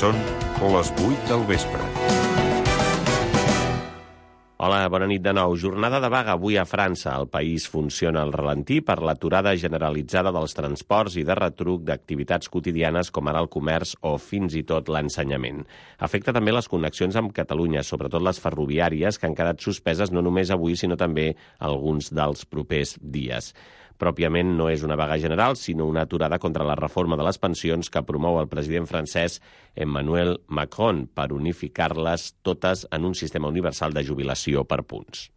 Són les 8 del vespre. Hola, bona nit de nou. Jornada de vaga avui a França. El país funciona al ralentí per l'aturada generalitzada dels transports i de retruc d'activitats quotidianes com ara el comerç o fins i tot l'ensenyament. Afecta també les connexions amb Catalunya, sobretot les ferroviàries, que han quedat suspeses no només avui, sinó també alguns dels propers dies. Pròpiament no és una vaga general, sinó una aturada contra la reforma de les pensions que promou el president francès Emmanuel Macron per unificar-les totes en un sistema universal de jubilació per punts.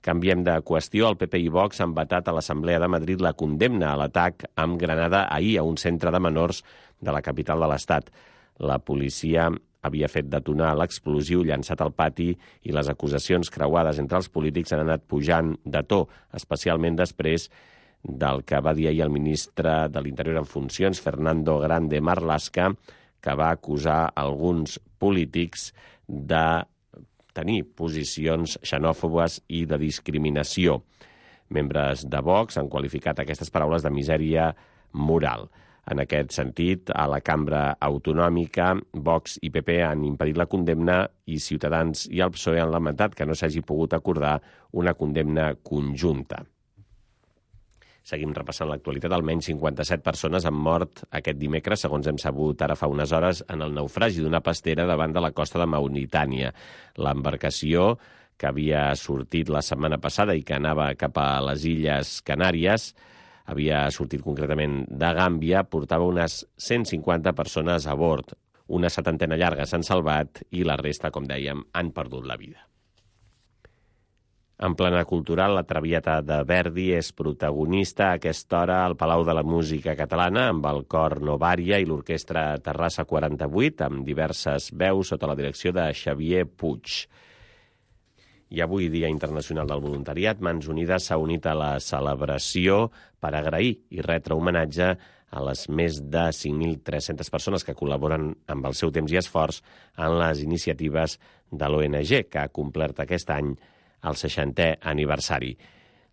Canviem de qüestió. El PP i Vox han vetat a l'Assemblea de Madrid la condemna a l'atac amb granada ahir a un centre de menors de la capital de l'Estat. La policia havia fet detonar l'explosiu llançat al pati i les acusacions creuades entre els polítics han anat pujant de to, especialment després del que va dir ahir el ministre de l'Interior en funcions, Fernando Grande Marlaska, que va acusar alguns polítics de tenir posicions xenòfobes i de discriminació. Membres de Vox han qualificat aquestes paraules de misèria moral. En aquest sentit, a la cambra autonòmica, Vox i PP han impedit la condemna i Ciutadans i el PSOE han lamentat que no s'hagi pogut acordar una condemna conjunta. Seguim repassant l'actualitat. Almenys 57 persones han mort aquest dimecres, segons hem sabut ara fa unes hores, en el naufragi d'una pastera davant de la costa de Mauritània. L'embarcació, que havia sortit la setmana passada i que anava cap a les Illes Canàries, havia sortit concretament de Gàmbia, portava unes 150 persones a bord. Una 70 llarga s'han salvat i la resta, com dèiem, han perdut la vida. En plana cultural, la Traviata de Verdi és protagonista a aquesta hora al Palau de la Música Catalana amb el cor Novària i l'orquestra Terrassa 48, amb diverses veus sota la direcció de Xavier Puig. I avui, Dia Internacional del Voluntariat, Mans Unides s'ha unit a la celebració per agrair i retre homenatge a les més de 5.300 persones que col·laboren amb el seu temps i esforç en les iniciatives de l'ONG, que ha complert aquest any el 60è aniversari.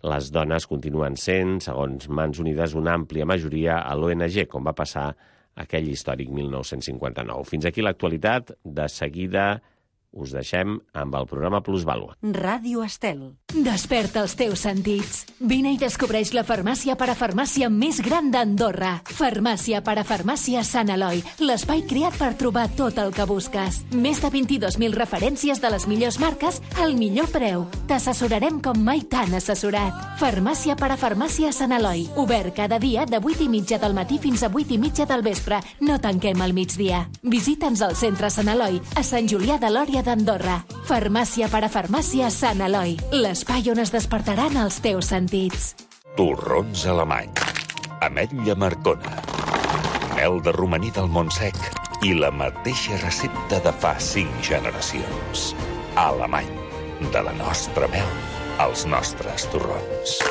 Les dones continuen sent, segons Mans Unides, una àmplia majoria a l'ONG, com va passar aquell històric 1959. Fins aquí l'actualitat. De seguida us deixem amb el programa Plusvàlua. Ràdio Estel. Desperta els teus sentits. Vine i descobreix la farmàcia parafarmàcia més gran d'Andorra. Farmàcia parafarmàcia Sant Eloi. L'espai creat per trobar tot el que busques. Més de 22.000 referències de les millors marques al millor preu. T'assessorarem com mai t'han assessorat. Farmàcia parafarmàcia Sant Eloi. Obert cada dia de 8:30 del matí fins a 8:30 del vespre. No tanquem al migdia. Visita'ns al centre Sant Eloi, a Sant Julià de Lòria d'Andorra. Farmàcia parafarmàcia Sant Eloi. L'espai on es despertaran els teus sentits. Torrons alemanys, ametlla marcona, mel de romaní del Montsec i la mateixa recepta de fa 5 generacions. Alemany, de la nostra mel als nostres torrons.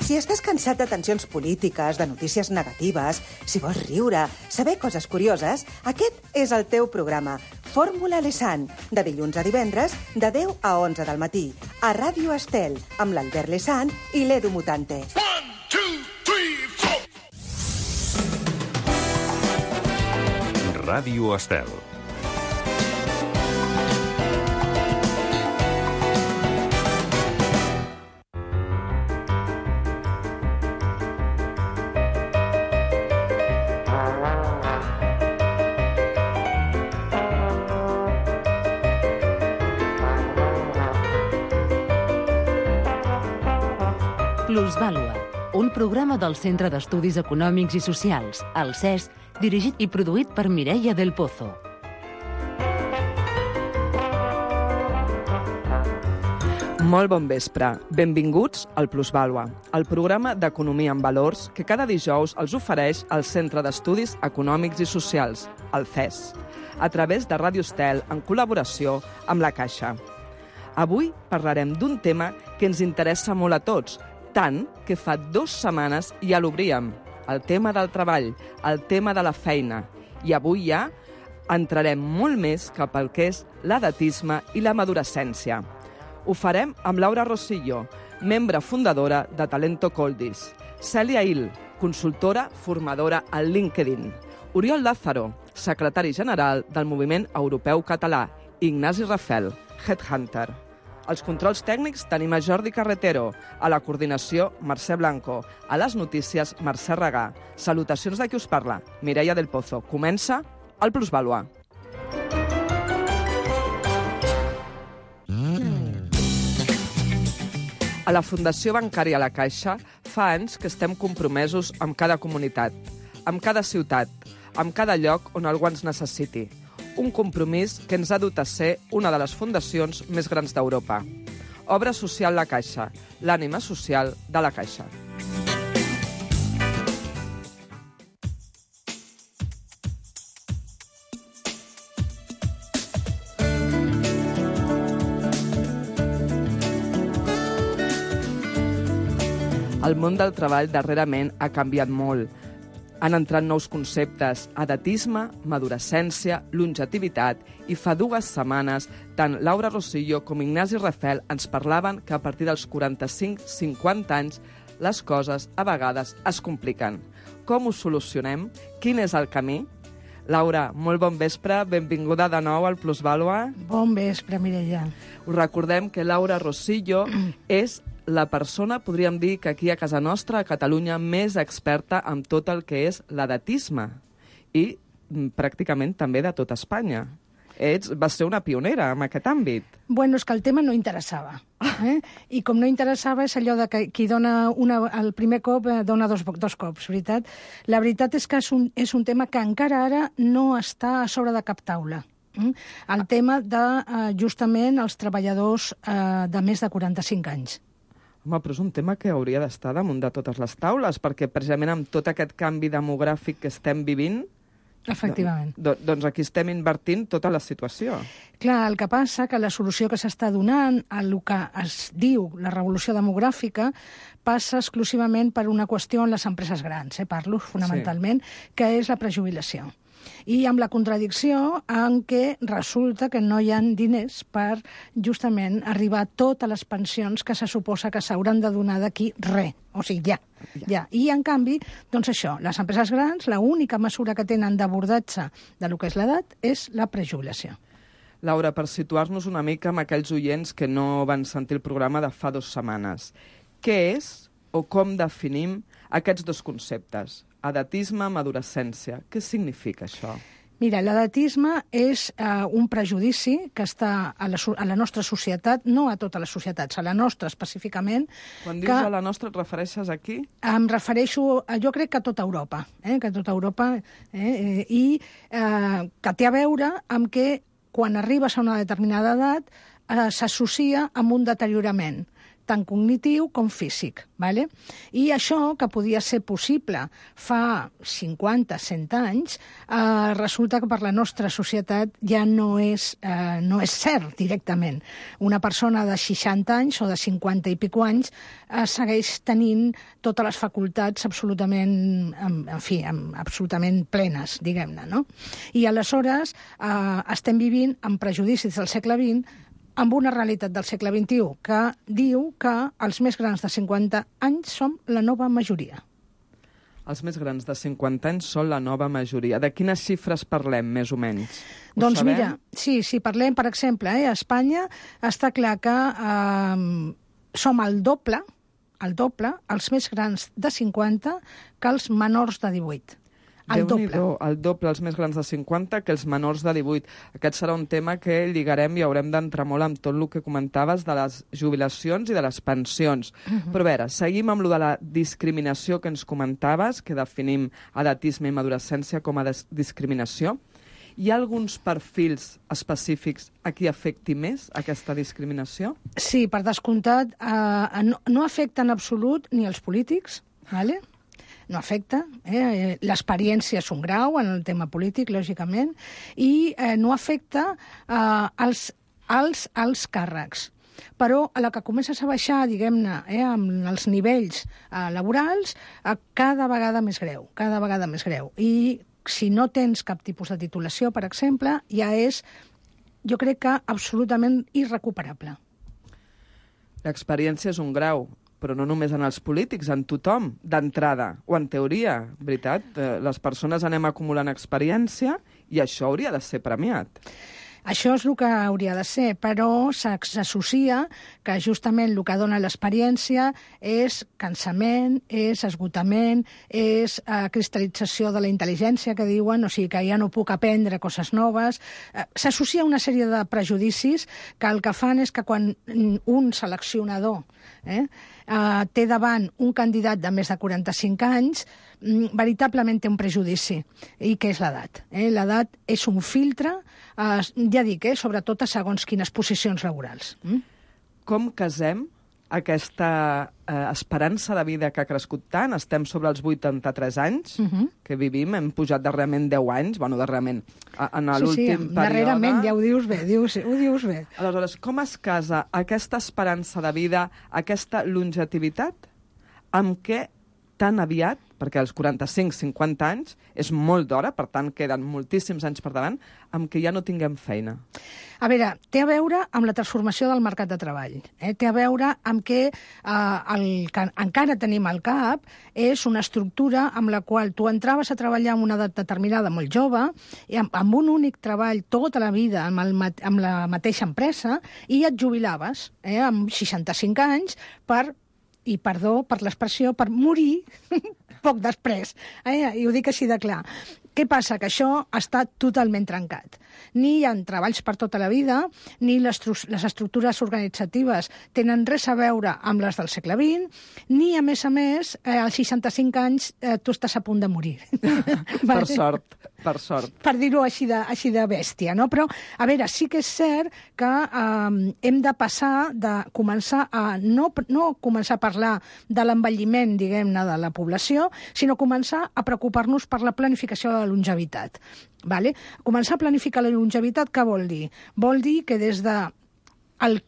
Si estàs cansat de tensions polítiques, de notícies negatives, si vols riure, saber coses curioses, aquest és el teu programa. Fórmula Lesan, de dilluns a divendres, de 10 a 11 del matí, a Ràdio Estel, amb l'Albert Lesan i l'Edu Mutante. 1, 2, 3, 4. Ràdio Estel. Plusvàlua, un programa del Centre d'Estudis Econòmics i Socials, el CES, dirigit i produït per Mireia del Pozo. Molt bon vespre. Benvinguts al Plusvàlua, el programa d'economia en valors que cada dijous els ofereix el Centre d'Estudis Econòmics i Socials, el CES, a través de Ràdio Estel en col·laboració amb la Caixa. Avui parlarem d'un tema que ens interessa molt a tots, tant que fa 2 setmanes ja l'obríem, el tema del treball, el tema de la feina. I avui ja entrarem molt més cap al que és l'edatisme i la madurescència. Ho farem amb Laura Rosillo, membre fundadora de Talento Coldis, Cèlia Hill, consultora formadora al LinkedIn, Oriol Lázaro, secretari general del Moviment Europeu Català, Ignasi Rafel, Headhunter. Als controls tècnics tenim a Jordi Carretero, a la coordinació Mercè Blanco, a les notícies Mercè Regà. Salutacions de qui us parla, Mireia del Pozo. Comença el Plusvàlua. A la Fundació Bancària La Caixa fa anys que estem compromesos amb cada comunitat, amb cada ciutat, amb cada lloc on algú ens necessiti. Un compromís que ens ha dut a ser una de les fundacions més grans d'Europa. Obra Social La Caixa, l'ànima social de La Caixa. El món del treball darrerament ha canviat molt. Han entrat nous conceptes, edatisme, madurescència, longetivitat, i fa 2 setmanes tant Laura Rosillo com Ignasi Rafel ens parlaven que a partir dels 45-50 anys les coses a vegades es compliquen. Com ho solucionem? Quin és el camí? Laura, molt bon vespre, benvinguda de nou al Plusvàlua. Bon vespre, Mireia. Us recordem que Laura Rosillo és la persona, podríem dir, que aquí a casa nostra, a Catalunya, més experta en tot el que és l'edatisme i pràcticament també de tot Espanya. Vas ser una pionera en aquest àmbit. Bueno, és que el tema no interessava. I com no interessava és allò de que qui dona el primer cop dona dos cops, veritat? La veritat és que és un tema que encara ara no està a sobre de cap taula. El tema de, justament, els treballadors de més de 45 anys. Home, però és un tema que hauria d'estar damunt de totes les taules, perquè precisament amb tot aquest canvi demogràfic que estem vivint, efectivament, doncs aquí estem invertint tota la situació. Clar, el que passa que la solució que s'està donant a el que es diu la revolució demogràfica passa exclusivament per una qüestió en les empreses grans, parlo fonamentalment, que és la prejubilació. I amb la contradicció en què resulta que no hi ha diners per justament arribar a totes les pensions que se suposa que s'hauran de donar d'aquí res. O sigui, ja. I, en canvi, doncs això, les empreses grans, l'única mesura que tenen d'abordatge de lo que és l'edat és la prejubilació. Laura, per situar-nos una mica amb aquells oients que no van sentir el programa de fa 2 setmanes, què és o com definim aquests 2 conceptes? Edatisme, madurescència. Què significa això? Mira, l'edatisme és un prejudici que està a la nostra societat, no a totes les societats, a la nostra específicament. Quan dius a la nostra, et refereixes aquí? Em refereixo, jo crec que a tota Europa, i que té a veure amb que quan arribes a una determinada edat s'associa amb un deteriorament, tant cognitiu com físic. I això, que podia ser possible fa 50-100 anys, resulta que per la nostra societat ja no és cert directament. Una persona de 60 anys o de 50 i pico anys segueix tenint totes les facultats absolutament, absolutament plenes, diguem-ne, no? I aleshores estem vivint amb prejudicis del segle XX amb una realitat del segle XXI que diu que els més grans de 50 anys som la nova majoria. Els més grans de 50 anys són la nova majoria. De quines xifres parlem, més o menys? Doncs mira, sí, parlem, per exemple, a Espanya està clar que som el doble, els més grans de 50, que els menors de 18. El doble, els més grans de 50 que els menors de 18. Aquest serà un tema que lligarem i haurem d'entrar molt amb tot el que comentaves de les jubilacions i de les pensions. Però a veure, seguim amb lo de la discriminació que ens comentaves, que definim edatisme i madurescència com a discriminació. Hi ha alguns perfils específics a qui afecti més aquesta discriminació? Sí, per descomptat, no afecta en absolut ni els polítics, ¿vale? No afecta. L'experiència és un grau en el tema polític, lògicament, i no afecta als càrrecs. Però a la que comences a baixar, diguem-ne, amb els nivells laborals, cada vegada més greu. I si no tens cap tipus de titulació, per exemple, ja és, jo crec que absolutament irrecuperable. L'experiència és un grau. però no només en els polítics, en tothom, d'entrada, o en teoria, veritat? Les persones anem acumulant experiència i això hauria de ser premiat. Això és el que hauria de ser, però s'associa que justament el que dona l'experiència és cansament, és esgotament, és cristal·lització de la intel·ligència, que diuen, o sigui que ja no puc aprendre coses noves. S'associa una sèrie de prejudicis que el que fan és que quan un seleccionador té davant un candidat de més de 45 anys, veritablement té un prejudici, i que és l'edat. L'edat és un filtre, ja dic, sobretot a segons quines posicions laborals. Com casem aquesta esperança de vida que ha crescut tant? Estem sobre els 83 anys que vivim, hem pujat darrerament 10 anys, bueno, darrerament, en l'últim període. Darrerament, ja ho dius bé, ho dius bé. Aleshores, com es casa aquesta esperança de vida, aquesta longevitat, amb què tan aviat, perquè als 45-50 anys és molt d'hora, per tant queden moltíssims anys per davant, amb què ja no tinguem feina? A veure, té a veure amb la transformació del mercat de treball. Té a veure amb que el que encara tenim al cap és una estructura amb la qual tu entraves a treballar en una edat determinada molt jove, i amb un únic treball tota la vida amb la mateixa empresa, i et jubilaves amb 65 anys i perdó per l'expressió, per morir poc després. I ho dic així de clar. Què passa? Que això està totalment trencat. Ni hi ha treballs per tota la vida, ni les estructures organitzatives tenen res a veure amb les del segle XX, ni, a més, als 65 anys tu estàs a punt de morir. Per sort, per sort. Per dir-ho així de bèstia, no? Però, a veure, sí que és cert que hem de passar de començar a no començar a parlar de l'envelliment, diguem-ne, de la població, sinó començar a preocupar-nos per la planificació de la longevitat. Vale? Començar a planificar la longevitat, què vol dir? Vol dir que des de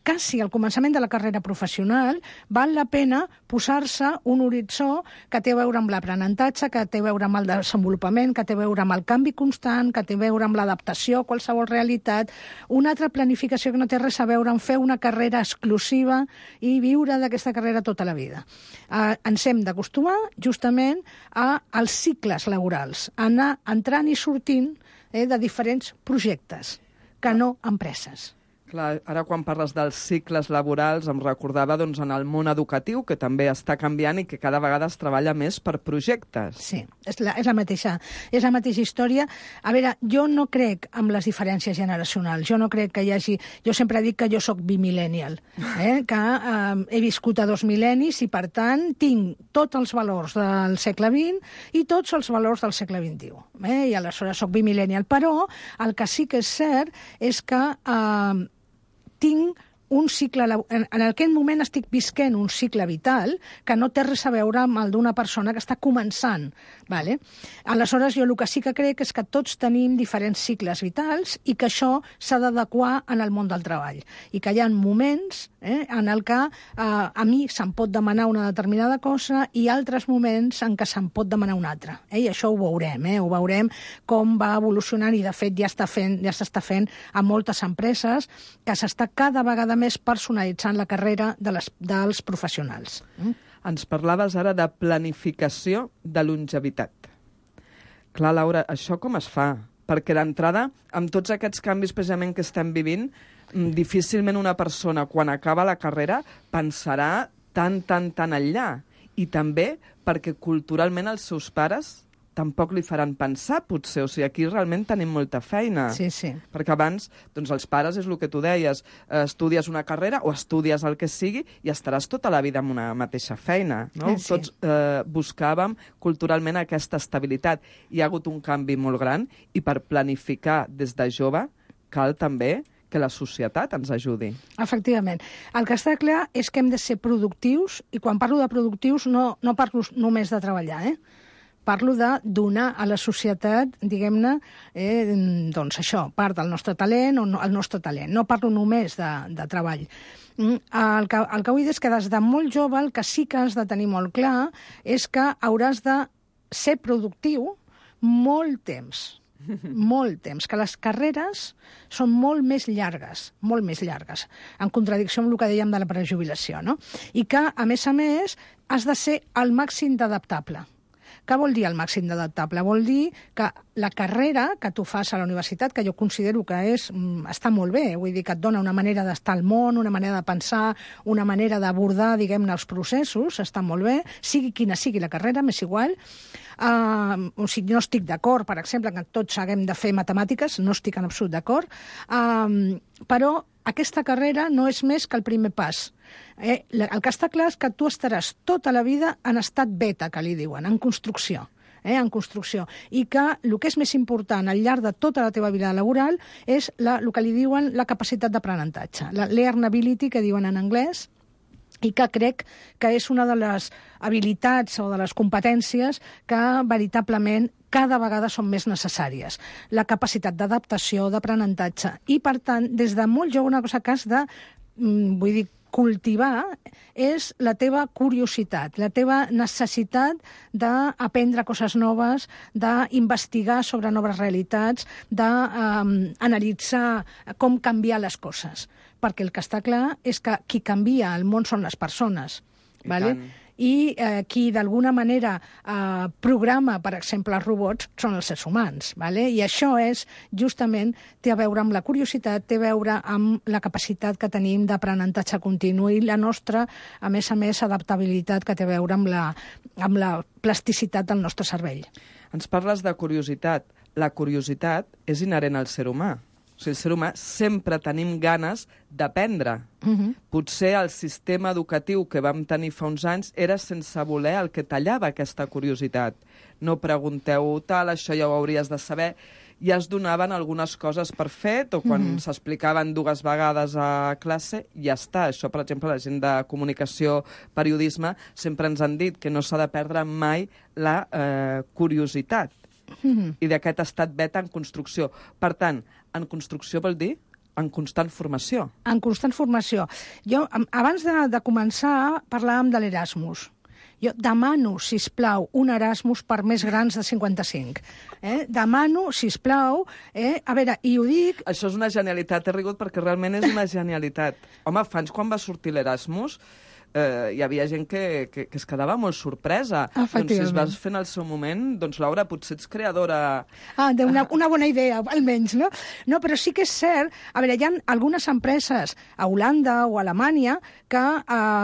quasi al començament de la carrera professional val la pena posar-se un horitzó que té a veure amb l'aprenentatge, que té a veure amb el desenvolupament, que té a veure amb el canvi constant, que té a veure amb l'adaptació a qualsevol realitat, una altra planificació que no té res a veure amb fer una carrera exclusiva i viure d'aquesta carrera tota la vida. Ens hem d'acostumar justament als cicles laborals, anar entrant i sortint de diferents projectes, que no empreses. Clar, ara quan parles dels cicles laborals em recordava en el món educatiu, que també està canviant i que cada vegada es treballa més per projectes. Sí, és la mateixa història. A veure, jo no crec en les diferències generacionals, jo no crec que hi hagi... Jo sempre dic que jo sóc bimillennial, que he viscut a 2 mil·lennis i, per tant, tinc tots els valors del segle XX i tots els valors del segle XXI. I aleshores sóc bimillennial. Però el que sí que és cert és que tinc un cicle... En aquest moment estic visquent un cicle vital que no té res a veure amb el d'una persona que està començant. Vale? Aleshores, jo el que sí que crec és que tots tenim diferents cicles vitals i que això s'ha d'adequar en el món del treball. I que hi ha moments en el que a mi se'm pot demanar una determinada cosa i altres moments en què se'm pot demanar una altra. I això ho veurem, ho veurem com va evolucionant i, de fet, ja s'està fent a moltes empreses que s'està cada vegada més personalitzant la carrera dels professionals. Ens parlaves ara de planificació de longevitat. Clar, Laura, això com es fa? Perquè d'entrada, amb tots aquests canvis precisament que estem vivint, difícilment una persona, quan acaba la carrera, pensarà tan enllà. I també perquè culturalment els seus pares tampoc li faran pensar, potser. O sigui, aquí realment tenim molta feina. Sí, sí. Perquè abans, els pares, és el que tu deies, estudies una carrera o estudies el que sigui i estaràs tota la vida amb una mateixa feina, no? Sí. Tots buscàvem culturalment aquesta estabilitat. Hi ha hagut un canvi molt gran i per planificar des de jove cal també que la societat ens ajudi. Efectivament. El que està clar és que hem de ser productius, i quan parlo de productius no parlo només de treballar, Parlo de donar a la societat, diguem-ne, doncs això, part del nostre talent o el nostre talent. No parlo només de treball. El que vull dir és que des de molt jove el que sí que has de tenir molt clar és que hauràs de ser productiu molt temps. Molt temps, que les carreres són molt més llargues, en contradicció amb el que dèiem de la prejubilació, no? I que, a més, has de ser al màxim d'adaptable. Què vol dir el màxim d'adaptable? Vol dir que la carrera que tu fas a la universitat, que jo considero que està molt bé, vull dir que et dona una manera d'estar al món, una manera de pensar, una manera d'abordar, diguem-ne, els processos, està molt bé, sigui quina sigui la carrera, m'és igual. O sigui, no estic d'acord, per exemple, que tots haguem de fer matemàtiques, no estic en absolut d'acord, però aquesta carrera no és més que el primer pas. El que està clar és que tu estaràs tota la vida en estat beta, que li diuen, en construcció. En construcció. I que el que és més important al llarg de tota la teva vida laboral és el que li diuen la capacitat d'aprenentatge, la learnability, que diuen en anglès, i que crec que és una de les habilitats o de les competències que veritablement cada vegada són més necessàries. La capacitat d'adaptació, d'aprenentatge. I, per tant, des de molt jove, una cosa que has de, vull dir, cultivar és la teva curiositat, la teva necessitat d'aprendre coses noves, d'investigar sobre noves realitats, d'analitzar com canviar les coses. Perquè el que està clar és que qui canvia el món són les persones. I qui d'alguna manera programa, per exemple, els robots, són els éssers humans. I això justament té a veure amb la curiositat, té a veure amb la capacitat que tenim d'aprenentatge continu i la nostra, a més, adaptabilitat que té a veure amb la plasticitat del nostre cervell. Ens parles de curiositat. La curiositat és inherent al ser humà. O sigui, el ser humà sempre tenim ganes d'aprendre. Potser el sistema educatiu que vam tenir fa uns anys era sense voler el que tallava aquesta curiositat. No pregunteu tal, això ja ho hauries de saber. Ja es donaven algunes coses per fet, o quan s'explicaven 2 vegades a classe, ja està. Això, per exemple, la gent de comunicació, periodisme, sempre ens han dit que no s'ha de perdre mai la curiositat. I d'aquest estat beta en construcció. Per tant, en construcció vol dir en constant formació. En constant formació. Jo, abans de començar, parlàvem de l'Erasmus. Jo demano, sisplau, un Erasmus per més grans de 55. Demano, sisplau, a veure, i ho dic... Això és una genialitat, he rigut perquè realment és una genialitat. Home, fa anys quan va sortir l'Erasmus, hi havia gent que es quedava molt sorpresa. Doncs si es vas fent al seu moment, doncs Laura, potser ets creadora... Una bona idea, almenys, no? No, però sí que és cert... A veure, hi ha algunes empreses a Holanda o a Alemanya que,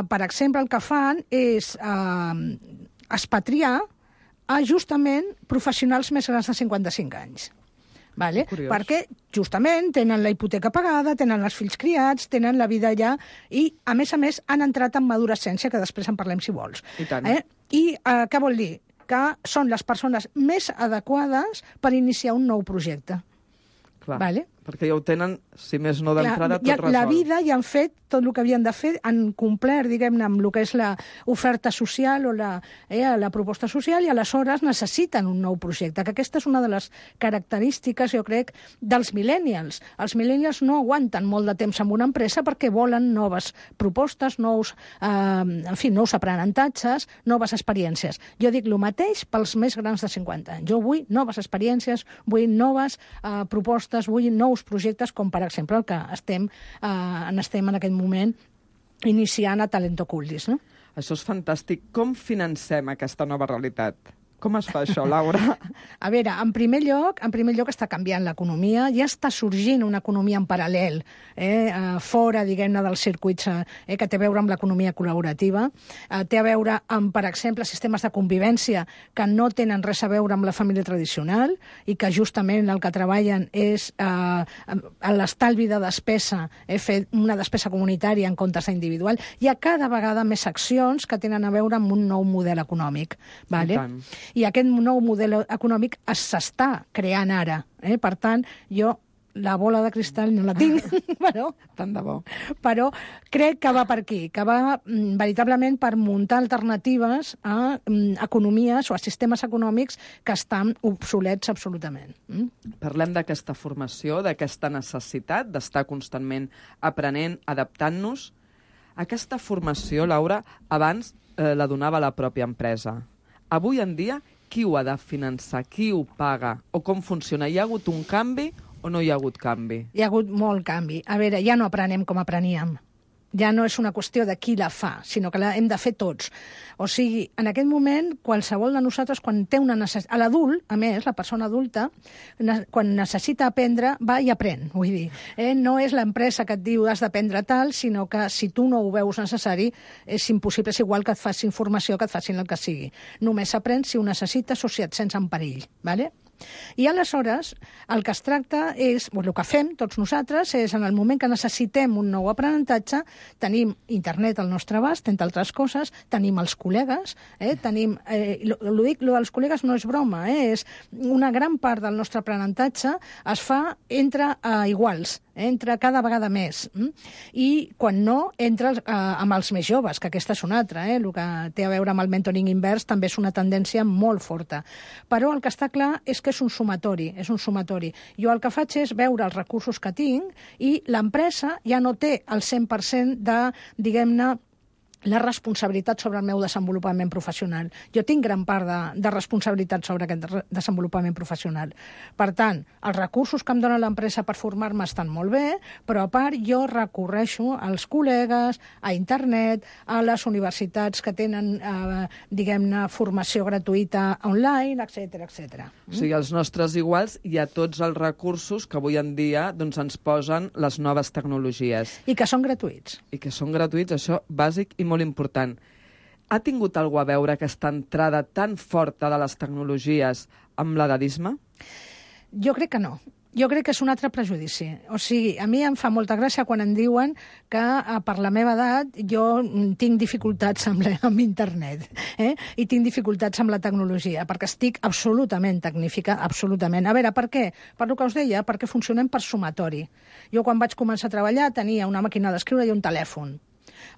per exemple, el que fan és expatriar justament professionals més grans de 55 anys. Perquè justament tenen la hipoteca pagada, tenen els fills criats, tenen la vida allà i, a més, han entrat en madurescència, que després en parlem si vols. I tant. I què vol dir? Que són les persones més adequades per iniciar un nou projecte. Clar, perquè ja ho tenen, si més no d'entrada, tot resolt. La vida ja han fet tot el que havien de fer, han complert, diguem-ne, amb el que és l'oferta social o la proposta social, i aleshores necessiten un nou projecte, que aquesta és una de les característiques, jo crec, dels millennials. Els millennials no aguanten molt de temps en una empresa perquè volen noves propostes, nous aprenentatges, noves experiències. Jo dic el mateix pels més grans de 50 anys. Jo vull noves experiències, vull noves propostes, vull nous projectes, com per exemple el que estem en aquest moment iniciant a Talento Culdis, no? Això és fantàstic. Com financem aquesta nova realitat? Com es fa això, Laura? A veure, en primer lloc està canviant l'economia, ja està sorgint una economia en paral·lel, fora, diguem-ne, dels circuits que té a veure amb l'economia col·laborativa, té a veure amb, per exemple, sistemes de convivència que no tenen res a veure amb la família tradicional i que justament el que treballen és l'estalvi de despesa, fer una despesa comunitària en comptes d'individual. Hi ha cada vegada més accions que tenen a veure amb un nou model econòmic. I aquest nou model econòmic s'està creant ara. Per tant, jo la bola de cristall no la tinc, tant de bo. Però crec que va per aquí, que va veritablement per muntar alternatives a economies o a sistemes econòmics que estan obsolets absolutament. Parlem d'aquesta formació, d'aquesta necessitat d'estar constantment aprenent, adaptant-nos. Aquesta formació, Laura, abans la donava la pròpia empresa. Avui en dia, qui ho ha de finançar, qui ho paga, o com funciona? Hi ha hagut un canvi o no hi ha hagut canvi? Hi ha hagut molt canvi. A veure, ja no aprenem com apreníem. Ja no és una qüestió de qui la fa, sinó que la hem de fer tots. O sigui, en aquest moment, qualsevol de nosaltres, quan té una necessitat... L'adult, a més, la persona adulta, quan necessita aprendre, va i aprèn. Vull dir, no és l'empresa que et diu has d'aprendre tal, sinó que si tu no ho veus necessari, és impossible, és igual que et facin formació, que et facin el que sigui. Només s'aprèn si ho necessites o si et sents en perill, d'acord? I aleshores el que es tracta és, el que fem tots nosaltres és en el moment que necessitem un nou aprenentatge, tenim internet al nostre abast, entre altres coses, tenim els col·legues, tenim, lo dels col·legues no és broma, és una gran part del nostre aprenentatge es fa entre iguals, entra cada vegada més. I quan no, entra amb els més joves, que aquesta és una altra. El que té a veure amb el mentoring invers també és una tendència molt forta. Però el que està clar és que és un sumatori, Jo el que faig és veure els recursos que tinc i l'empresa ja no té el 100% de, diguem-ne, la responsabilitat sobre el meu desenvolupament professional. Jo tinc gran part de responsabilitat sobre aquest desenvolupament professional. Per tant, els recursos que em dona l'empresa per formar-me estan molt bé, però a part jo recorreixo als col·legues, a internet, a les universitats que tenen, diguem-ne, formació gratuïta online, etc. O sigui, als nostres iguals hi ha tots els recursos que avui en dia doncs, ens posen les noves tecnologies. I que són gratuïts. I que són gratuïts, això bàsic i molt important. Ha tingut alguna a veure aquesta entrada tan forta de les tecnologies amb l'edadisme? Jo crec que no. Jo crec que és un altre prejudici. O sigui, a mi em fa molta gràcia quan em diuen que per la meva edat jo tinc dificultats amb internet i tinc dificultats amb la tecnologia, perquè estic absolutament tecnífica, absolutament. A veure, per què? Per el que us deia, perquè funcionem per sumatori. Jo quan vaig començar a treballar tenia una màquina d'escriure i un telèfon.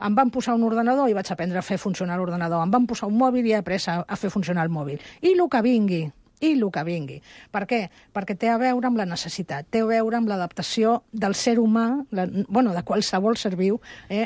Em van posar un ordenador i vaig aprendre a fer funcionar l'ordenador. Em van posar un mòbil i he après a fer funcionar el mòbil. I el que vingui. Per què? Perquè té a veure amb la necessitat, té a veure amb l'adaptació del ser humà, de qualsevol ser viu,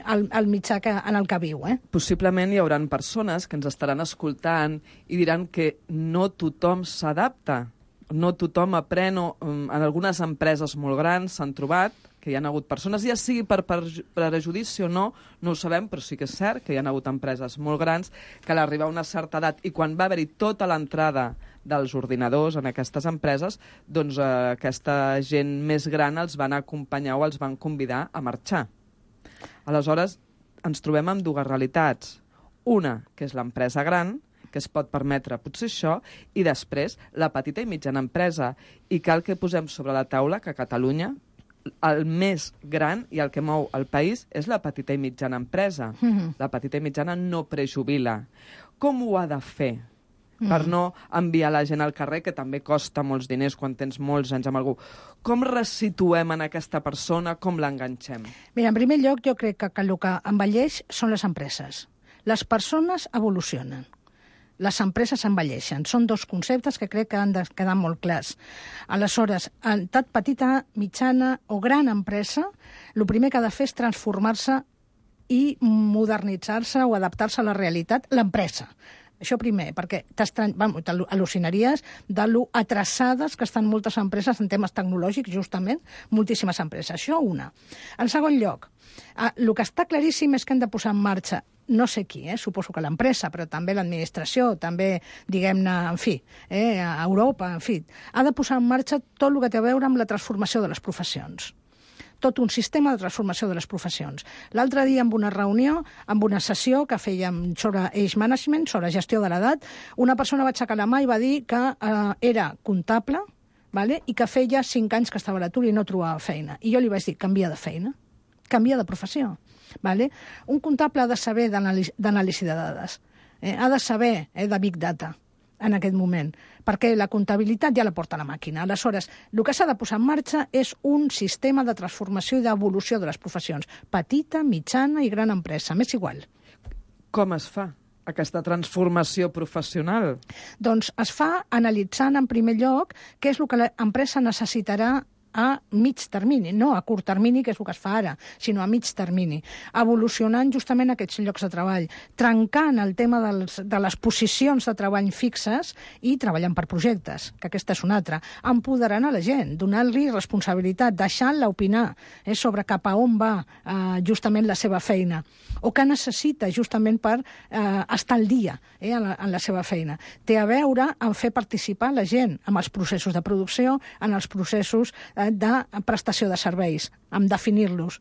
al mitjà en el que viu. Possiblement hi haurà persones que ens estaran escoltant i diran que no tothom s'adapta, no tothom aprèn, en algunes empreses molt grans s'han trobat que hi ha hagut persones, ja sigui per prejudici o no, no ho sabem, però sí que és cert que hi ha hagut empreses molt grans que a l'arribar a una certa edat i quan va haver-hi tota l'entrada dels ordinadors en aquestes empreses, doncs aquesta gent més gran els van acompanyar o els van convidar a marxar. Aleshores, ens trobem amb dues realitats. Una, que és l'empresa gran, que es pot permetre potser això, i després la petita i mitjana empresa. I cal que posem sobre la taula que a Catalunya el més gran i el que mou el país és la petita i mitjana empresa. La petita i mitjana no prejubila. Com ho ha de fer per no enviar la gent al carrer, que també costa molts diners quan tens molts anys amb algú? Com resituem en aquesta persona? Com l'enganxem? Mira, en primer lloc, jo crec que el que envelleix són les empreses. Les persones evolucionen. Les empreses envelleixen. Són dos conceptes que crec que han de quedar molt clars. Aleshores, en tant petita, mitjana o gran empresa, el primer que ha de fer és transformar-se i modernitzar-se o adaptar-se a la realitat, l'empresa. Això primer, perquè t'al·lucinaries de lo atreçades que estan moltes empreses en temes tecnològics, justament, moltíssimes empreses. Això una. En segon lloc, el que està claríssim és que hem de posar en marxa no sé qui, suposo que l'empresa, però també l'administració, també, diguem-ne, en fi, a Europa, en fi, ha de posar en marxa tot el que té a veure amb la transformació de les professions. Tot un sistema de transformació de les professions. L'altre dia, en una reunió, en una sessió que fèiem sobre age management, sobre gestió de l'edat, una persona va aixecar la mà i va dir que era comptable, i que feia 5 anys que estava a l'atur i no trobava feina. I jo li vaig dir, canvia de feina, canvia de professió. Un comptable ha de saber d'anàlisi de dades, ha de saber de Big Data en aquest moment, perquè la comptabilitat ja la porta la màquina. Aleshores, el que s'ha de posar en marxa és un sistema de transformació i d'evolució de les professions. Petita, mitjana i gran empresa, m'és igual. Com es fa aquesta transformació professional? Doncs es fa analitzant, en primer lloc, què és el que l'empresa necessitarà a mig termini, no a curt termini, que és el que es fa ara, sinó a mig termini, evolucionant justament aquests llocs de treball, trencant el tema de les posicions de treball fixes i treballant per projectes, que aquesta és una altra, empoderant a la gent, donant-li responsabilitat, deixant-la opinar sobre cap a on va justament la seva feina, o què necessita justament per estar al dia en la seva feina. Té a veure amb fer participar la gent en els processos de producció, en els processos de prestació de serveis, amb definir-los.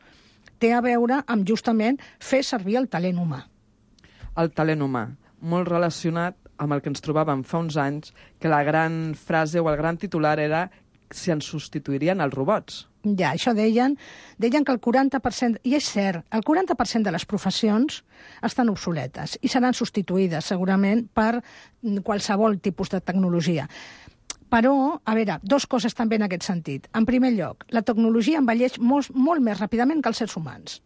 Té a veure amb justament fer servir el talent humà. El talent humà, molt relacionat amb el que ens trobàvem fa uns anys, que la gran frase o el gran titular era si ens substituirien els robots. Ja, això deien que el 40%, i és cert, el 40% de les professions estan obsoletes i seran substituïdes segurament per qualsevol tipus de tecnologia. Però, a veure, dues coses també en aquest sentit. En primer lloc, la tecnologia envelleix molt més ràpidament que els éssers humans.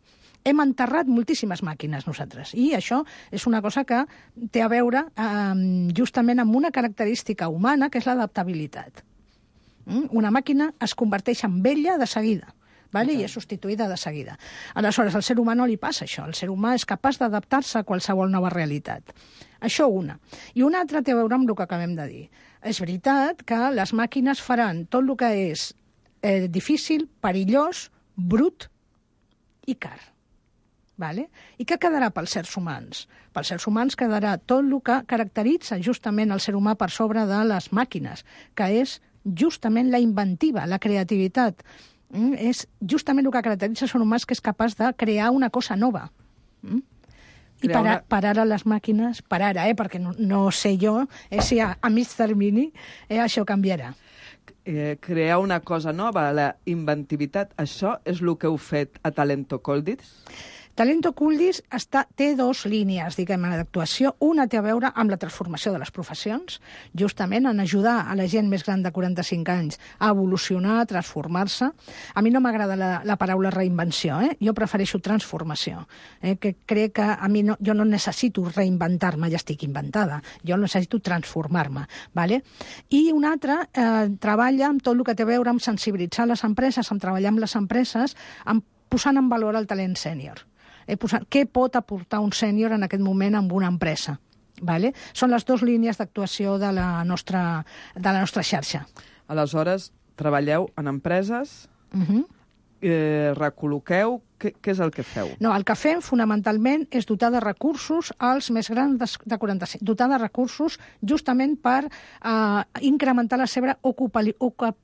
Hem enterrat moltíssimes màquines nosaltres, i això és una cosa que té a veure justament amb una característica humana, que és l'adaptabilitat. Una màquina es converteix en vella de seguida, i és substituïda de seguida. Aleshores, al ser humà no li passa això. El ser humà és capaç d'adaptar-se a qualsevol nova realitat. Això una. I una altra té a veure amb el que acabem de dir. És veritat que les màquines faran tot el que és difícil, perillós, brut i car. I què quedarà pels éssers humans? Pels éssers humans quedarà tot el que caracteritza justament el ser humà per sobre de les màquines, que és justament la inventiva, la creativitat. És justament el que caracteritza el ser humà, que és capaç de crear una cosa nova. I per ara les màquines, perquè no sé jo si a mig termini això canviarà. Crear una cosa nova, la inventivitat, això és el que heu fet a Talento Coldis? Talento Coldis té dues línies, d'actuació. Una té a veure amb la transformació de les professions, justament en ajudar a la gent més gran de 45 anys a evolucionar, a transformar-se. A mi no m'agrada la paraula reinvenció, jo prefereixo transformació, que crec que jo no necessito reinventar-me, ja estic inventada, jo necessito transformar-me. I una altra treballa amb tot el que té a veure amb sensibilitzar les empreses, amb treballar amb les empreses, posant en valor el talent sènior. Què pot aportar un sènior en aquest moment en una empresa? Són les dues línies d'actuació de la nostra xarxa. Aleshores, treballeu en empreses, recol·loqueu, què és el que feu? No, el que fem fonamentalment és dotar de recursos als més grans de 45, dotar de recursos justament per incrementar la seva ocupabilitat,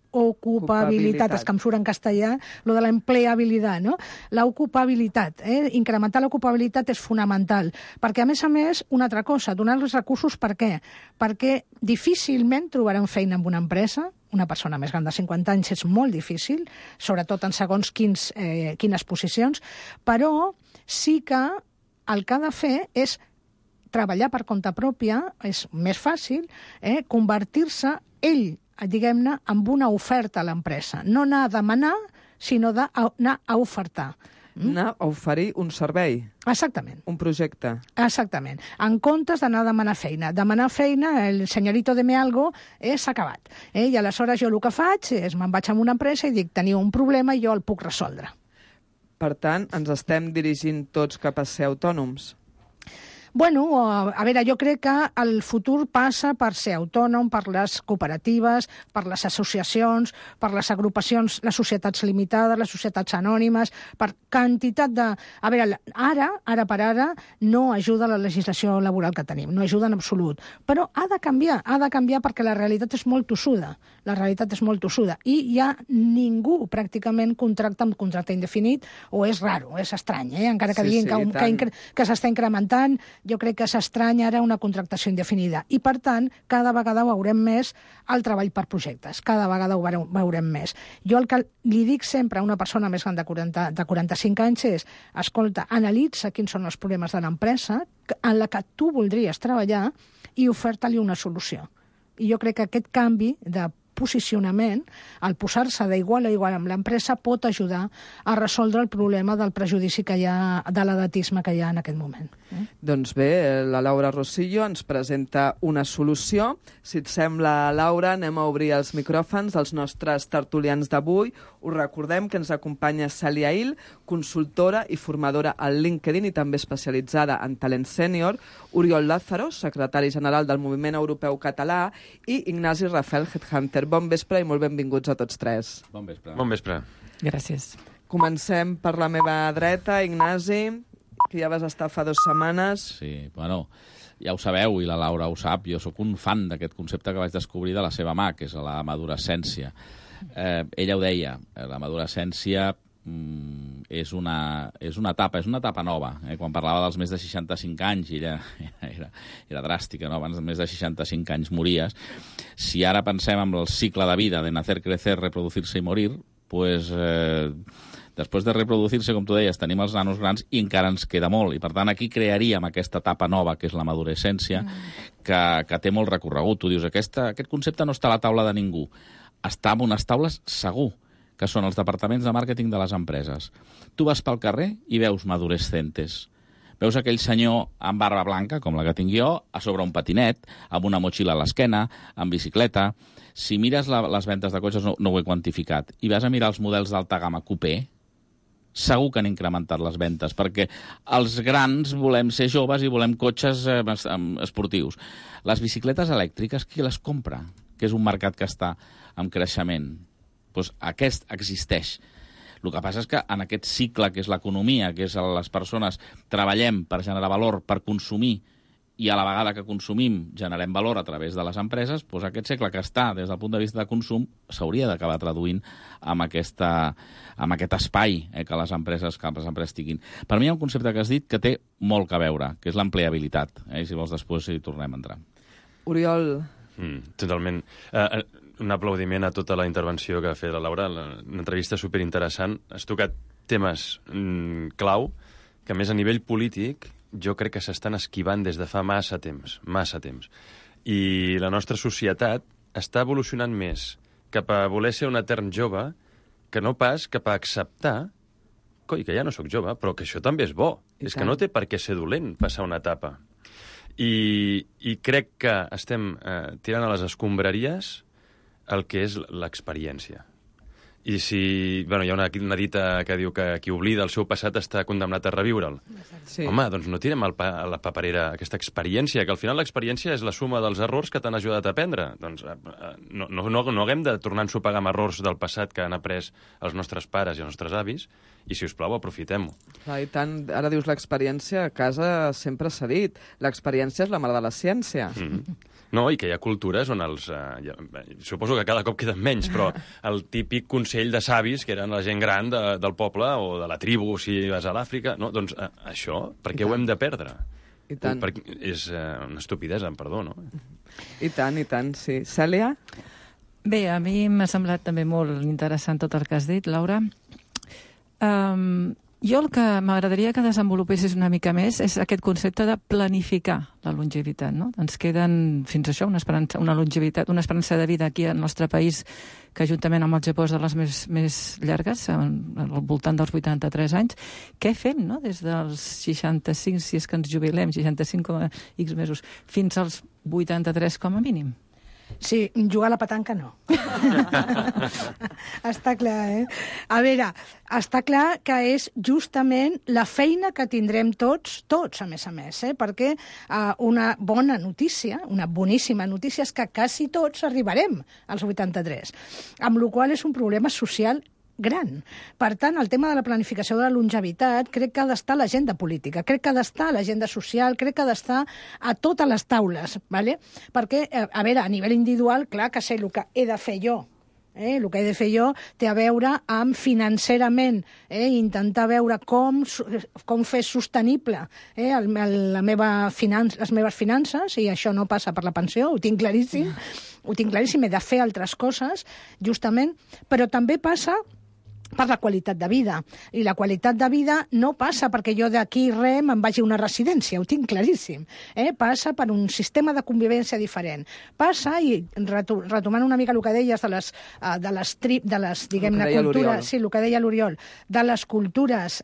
és que em surt en castellà, lo de l'empleabilitat, no? L'ocupabilitat, incrementar l'ocupabilitat és fonamental, perquè a més, una altra cosa, donar-los recursos per què? Perquè difícilment trobaran feina en una empresa, una persona més gran de 50 anys és molt difícil, sobretot en segons quines posicions, però sí que el que ha de fer és treballar per compte pròpia, és més fàcil, convertir-se ell, diguem-ne, amb una oferta a l'empresa. No anar a demanar, sinó d'anar a ofertar. Anar a oferir un servei. Exactament. Un projecte. Exactament. En comptes d'anar a demanar feina. Demanar feina, el senyorito de me algo, s'ha acabat. I aleshores jo el que faig és me'n vaig a una empresa i dic, teniu un problema i jo el puc resoldre. Per tant, ens estem dirigint tots cap a ser autònoms. Bueno, a veure, jo crec que el futur passa per ser autònom, per les cooperatives, per les associacions, per les agrupacions, les societats limitades, les societats anònimes, per quantitat de... A veure, ara per ara, no ajuda la legislació laboral que tenim, no ajuda en absolut. Però ha de canviar perquè la realitat és molt tossuda. La realitat és molt tossuda. I ja ningú pràcticament contracta amb contracte indefinit, o és raro, és estrany, encara que diguin que s'està incrementant. Jo crec que s'estranya ara una contractació indefinida. I, per tant, cada vegada veurem més el treball per projectes. Cada vegada ho veurem més. Jo el que li dic sempre a una persona més gran de 45 anys és, escolta, analitza quins són els problemes de l'empresa en la que tu voldries treballar i oferta-li una solució. I jo crec que aquest canvi de posicionament, al posar-se d'igual a igual amb l'empresa, pot ajudar a resoldre el problema del prejudici que hi ha, de l'edatisme que hi ha en aquest moment. Doncs bé, la Laura Rosillo ens presenta una solució. Si et sembla, Laura, anem a obrir els micròfons dels nostres tertulians d'avui. Us recordem que ens acompanya Cèlia Il, consultora i formadora al LinkedIn i també especialitzada en talent sènior, Oriol Lázaro, secretari general del Moviment Europeu Català, i Ignasi Rafel, headhunter. Bon vespre i molt benvinguts a tots tres. Bon vespre. Bon vespre. Gràcies. Comencem per la meva dreta, Ignasi, que ja vas estar fa 2 setmanes. Sí, bueno, ja ho sabeu, i la Laura ho sap, jo sóc un fan d'aquest concepte que vaig descobrir de la seva mà, que és la madurescència. Ella ho deia, la madurescència és una etapa nova. Quan parlava dels més de 65 anys, ella era dràstica, no? Abans de més de 65 anys mories. Si ara pensem en el cicle de vida de nacer, crecer, reproducir-se i morir, pues, després de reproduir-se, com tu deies, tenim els nanos grans i encara ens queda molt. I per tant aquí crearíem aquesta etapa nova, que és la madurescència, que té molt recorregut. Tu dius, aquest concepte no està a la taula de ningú. Està en unes taules segur, que són els departaments de màrqueting de les empreses. Tu vas pel carrer i veus madurescentes. Veus aquell senyor amb barba blanca, com la que tinc jo, a sobre un patinet, amb una motxilla a l'esquena, amb bicicleta. Si mires les ventes de cotxes, no ho he quantificat, i vas a mirar els models d'alta gamma coupé, segur que han incrementat les ventes, perquè els grans volem ser joves i volem cotxes esportius. Les bicicletes elèctriques, qui les compra? Que és un mercat que està en creixement. Doncs aquest existeix. El que passa és que en aquest cicle, que és l'economia, que és les persones, treballem per generar valor, per consumir, i a la vegada que consumim generem valor a través de les empreses, doncs aquest cicle que està des del punt de vista de consum s'hauria d'acabar traduint amb aquest espai que les empreses tinguin. Per mi hi ha un concepte que has dit que té molt que veure, que és l'empleabilitat. Si vols després hi tornem a entrar. Oriol. Totalment. Un aplaudiment a tota la intervenció que ha fet la Laura, una entrevista superinteressant. Has tocat temes clau que, a més, a nivell polític, jo crec que s'estan esquivant des de fa massa temps. I la nostra societat està evolucionant més cap a voler ser un etern jove que no pas cap a acceptar coi, que ja no sóc jove, però que això també és bo. És que no té per què ser dolent passar una etapa. I crec que estem tirant a les escombraries el que és l'experiència. I si... Bueno, hi ha una dita que diu que qui oblida el seu passat està condemnat a reviure'l. Sí. Home, doncs no tirem a la paperera aquesta experiència, que al final l'experiència és la suma dels errors que t'han ajudat a aprendre. Doncs no haguem de tornar a ensopegar amb errors del passat que han après els nostres pares i els nostres avis, i, si us plau, aprofitem-ho. I tant, ara dius l'experiència, a casa sempre s'ha dit, l'experiència és la mare de la ciència. No, i que hi ha cultures on suposo que cada cop queden menys, però el típic consell de savis, que eren la gent gran del poble o de la tribu, si vas a l'Àfrica, no? Doncs això, per què ho hem de perdre? I tant. És una estupidesa, perdó, no? I tant, sí. Cèlia? Bé, a mi m'ha semblat també molt interessant tot el que has dit, Laura. Jo el que m'agradaria que desenvolupessis una mica més és aquest concepte de planificar la longevitat, no? Ens queden, fins a això, una esperança de vida aquí al nostre país que, juntament amb el Japó, és de les més llargues, al voltant dels 83 anys. Què fem, no?, des dels 65, si és que ens jubilem, 65,x mesos, fins als 83 com a mínim? Sí, jugar a la petanca no. Està clar, A veure, està clar que és justament la feina que tindrem tots, a més, perquè una bona notícia, una boníssima notícia, és que quasi tots arribarem als 83, amb la qual cosa és un problema social gran. Per tant, el tema de la planificació de la longevitat crec que ha d'estar a l'agenda política, crec que ha d'estar a l'agenda social, crec que ha d'estar a totes les taules, ¿vale? Perquè, a veure, a nivell individual, clar que sé el que he de fer jo. El que he de fer jo té a veure amb financerament, intentar veure com fer sostenible les meves finances, i això no passa per la pensió, ho tinc claríssim, he de fer altres coses, justament, però també passa per la qualitat de vida. I la qualitat de vida no passa perquè jo d'aquí me'n vagi a una residència, ho tinc claríssim. Passa per un sistema de convivència diferent. Passa, i retomant una mica el que deies de les diguem-ne, cultures... Sí, el que deia l'Oriol, de les cultures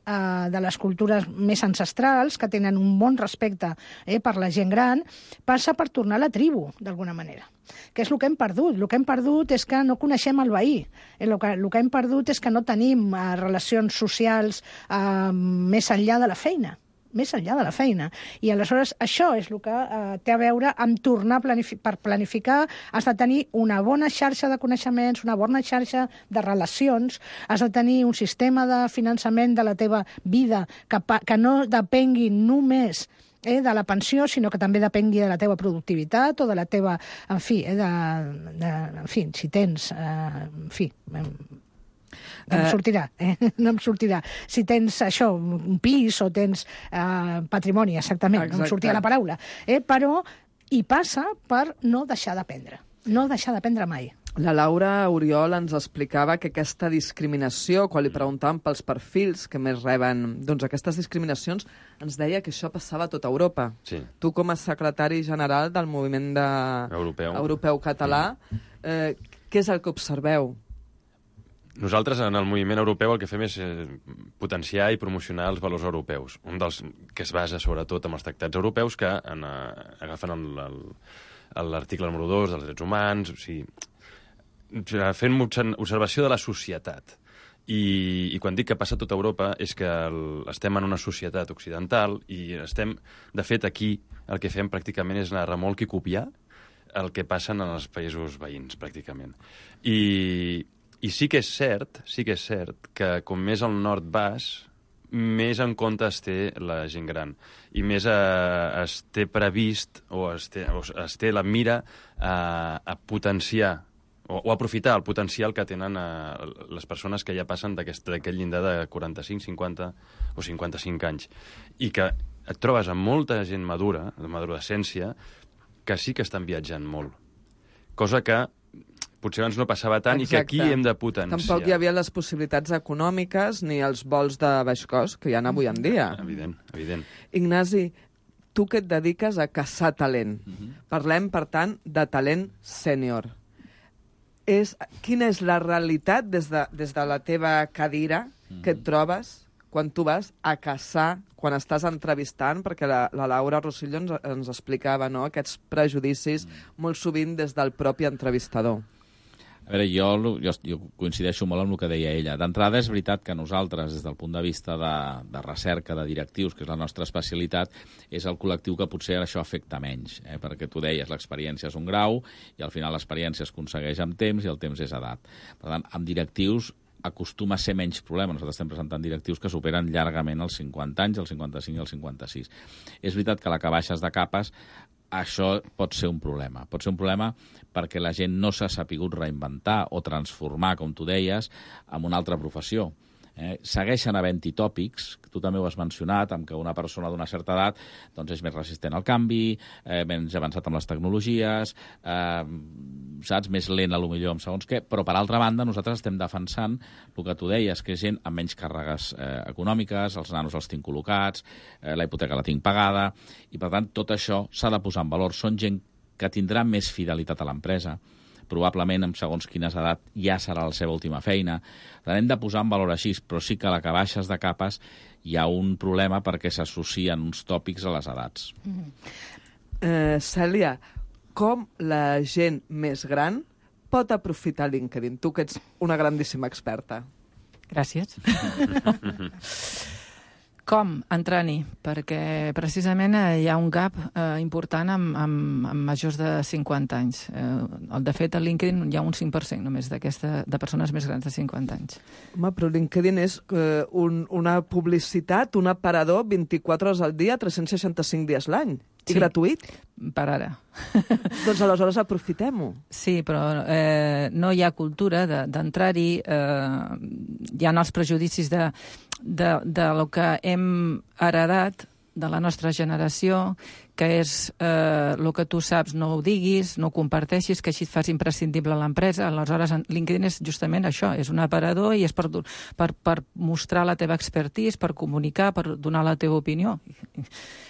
més ancestrals, que tenen un bon respecte per la gent gran, passa per tornar a la tribu, d'alguna manera. Que és el que hem perdut. El que hem perdut és que no coneixem el veí. El que hem perdut és que no tenim relacions socials més enllà de la feina. Més enllà de la feina. I aleshores això és el que té a veure amb tornar per planificar. Has de tenir una bona xarxa de coneixements, una bona xarxa de relacions, has de tenir un sistema de finançament de la teva vida que no depengui només de la pensió, sinó que també depengui de la teva productivitat o de la teva... En fi, si tens... No em sortirà. Si tens això, un pis o tens patrimoni, exactament, no em sortia la paraula. Però hi passa per no deixar d'aprendre. No deixar d'aprendre mai. La Laura Oriol ens explicava que aquesta discriminació, quan li preguntàvem pels perfils que més reben aquestes discriminacions, ens deia que això passava a tota Europa. Sí. Tu, com a secretari general del moviment europeu català, què és el que observeu? Nosaltres, en el moviment europeu, el que fem és potenciar i promocionar els valors europeus. Un dels que es basa, sobretot, en els tractats europeus, que agafen l'article número 2 dels drets humans, o sigui, fent observació de la societat. I quan dic que passa a tota Europa és que estem en una societat occidental i estem, de fet, aquí el que fem pràcticament és anar a remolc i copiar el que passen en els països veïns, pràcticament. I sí que és cert que com més al nord vas, més en compte es té la gent gran i més es té previst o es té la mira a potenciar o aprofitar el potencial que tenen les persones que ja passen d'aquest llindar de 45, 50 o 55 anys. I que et trobes amb molta gent madura, de maduracència, que sí que estan viatjant molt. Cosa que potser abans no passava tant. Exacte. I que aquí hem de potenciar. Tampoc hi havia les possibilitats econòmiques ni els vols de baix cost que hi ha avui en dia. Evident. Ignasi, tu que et dediques a caçar talent. Parlem, per tant, de talent sènior. Quina és la realitat des de la teva cadira que et trobes quan tu vas a caçar, quan estàs entrevistant, perquè la Laura Rosillo ens explicava aquests prejudicis molt sovint des del propi entrevistador. A veure, jo coincideixo molt amb el que deia ella. D'entrada, és veritat que nosaltres, des del punt de vista de recerca de directius, que és la nostra especialitat, és el col·lectiu que potser això afecta menys, perquè tu deies, l'experiència és un grau i al final l'experiència es aconsegueix amb temps i el temps és edat. Per tant, amb directius acostuma a ser menys problema. Nosaltres estem presentant directius que superen llargament els 50 anys, els 55 i els 56. És veritat que a la que baixes de capes això pot ser un problema. Pot ser un problema perquè la gent no s'ha sapigut reinventar o transformar, com tu deies, en una altra professió. Segueixen havent-hi tòpics, tu també ho has mencionat, amb que una persona d'una certa edat doncs és més resistent al canvi, menys avançat amb les tecnologies, saps, més lent potser amb segons què, però per altra banda nosaltres estem defensant el que tu deies, que és gent amb menys càrregues econòmiques, els nanos els tinc col·locats, la hipoteca la tinc pagada, i per tant tot això s'ha de posar en valor. Són gent que tindrà més fidelitat a l'empresa, probablement amb segons quines edat ja serà la seva última feina. Hem de posar en valor així, però sí que a la que baixes de capes hi ha un problema perquè s'associen uns tòpics a les edats. Cèlia, com la gent més gran pot aprofitar LinkedIn? Tu que ets una grandíssima experta. Gràcies. Com entrar-hi? Perquè precisament hi ha un gap important amb majors de 50 anys. De fet, a LinkedIn hi ha un 5% només de persones més grans de 50 anys. Home, però LinkedIn és una publicitat, un aparador 24 hores al dia, 365 dies l'any. I gratuït? Per ara. Doncs aleshores aprofitem-ho. Sí, però no hi ha cultura d'entrar-hi. Hi ha els prejudicis de lo que hem heredat de la nostra generació, que és el que tu saps no ho diguis, no ho comparteixis, que així et fas imprescindible a l'empresa. Aleshores, LinkedIn és justament això, és un aparador i és per mostrar la teva expertise, per comunicar, per donar la teva opinió.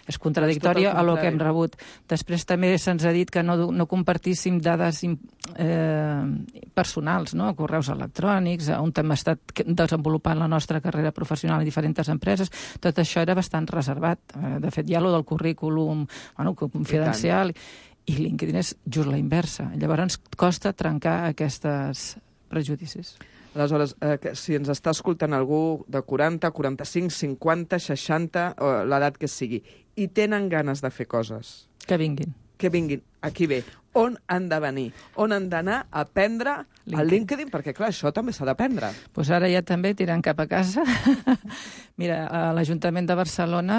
És contradictòria a lo que hem rebut. Després també se'ns ha dit que no compartíssim dades personals, no? Correus electrònics, on hem estat desenvolupant la nostra carrera professional en diferents empreses. Tot això era bastant reservat. De fet, hi ha lo del currículum confidencial, i LinkedIn és just la inversa. Llavors ens costa trencar aquests prejudicis. Aleshores, si ens està escoltant algú de 40, 45, 50, 60, l'edat que sigui, i tenen ganes de fer coses... Que vinguin. Que vinguin. Aquí ve. On han de venir? On han d'anar a aprendre el LinkedIn? Perquè, clar, això també s'ha d'aprendre. Doncs ara ja també tirant cap a casa. Mira, l'Ajuntament de Barcelona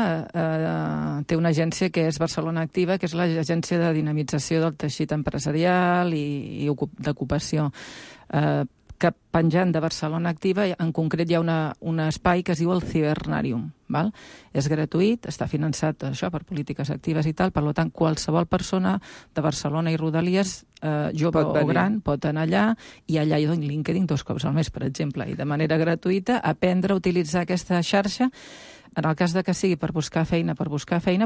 té una agència que és Barcelona Activa, que és l'agència de dinamització del teixit empresarial i d'ocupació. Que penjant de Barcelona Activa, en concret hi ha un espai que es diu el Cibernarium. Val? És gratuït, està finançat això per polítiques actives i tal, per tant, qualsevol persona de Barcelona i Rodalies, jove o gran, pot anar allà, i allà hi ha LinkedIn 2 cops al mes, per exemple, i de manera gratuïta aprendre a utilitzar aquesta xarxa, en el cas de que sigui per buscar feina,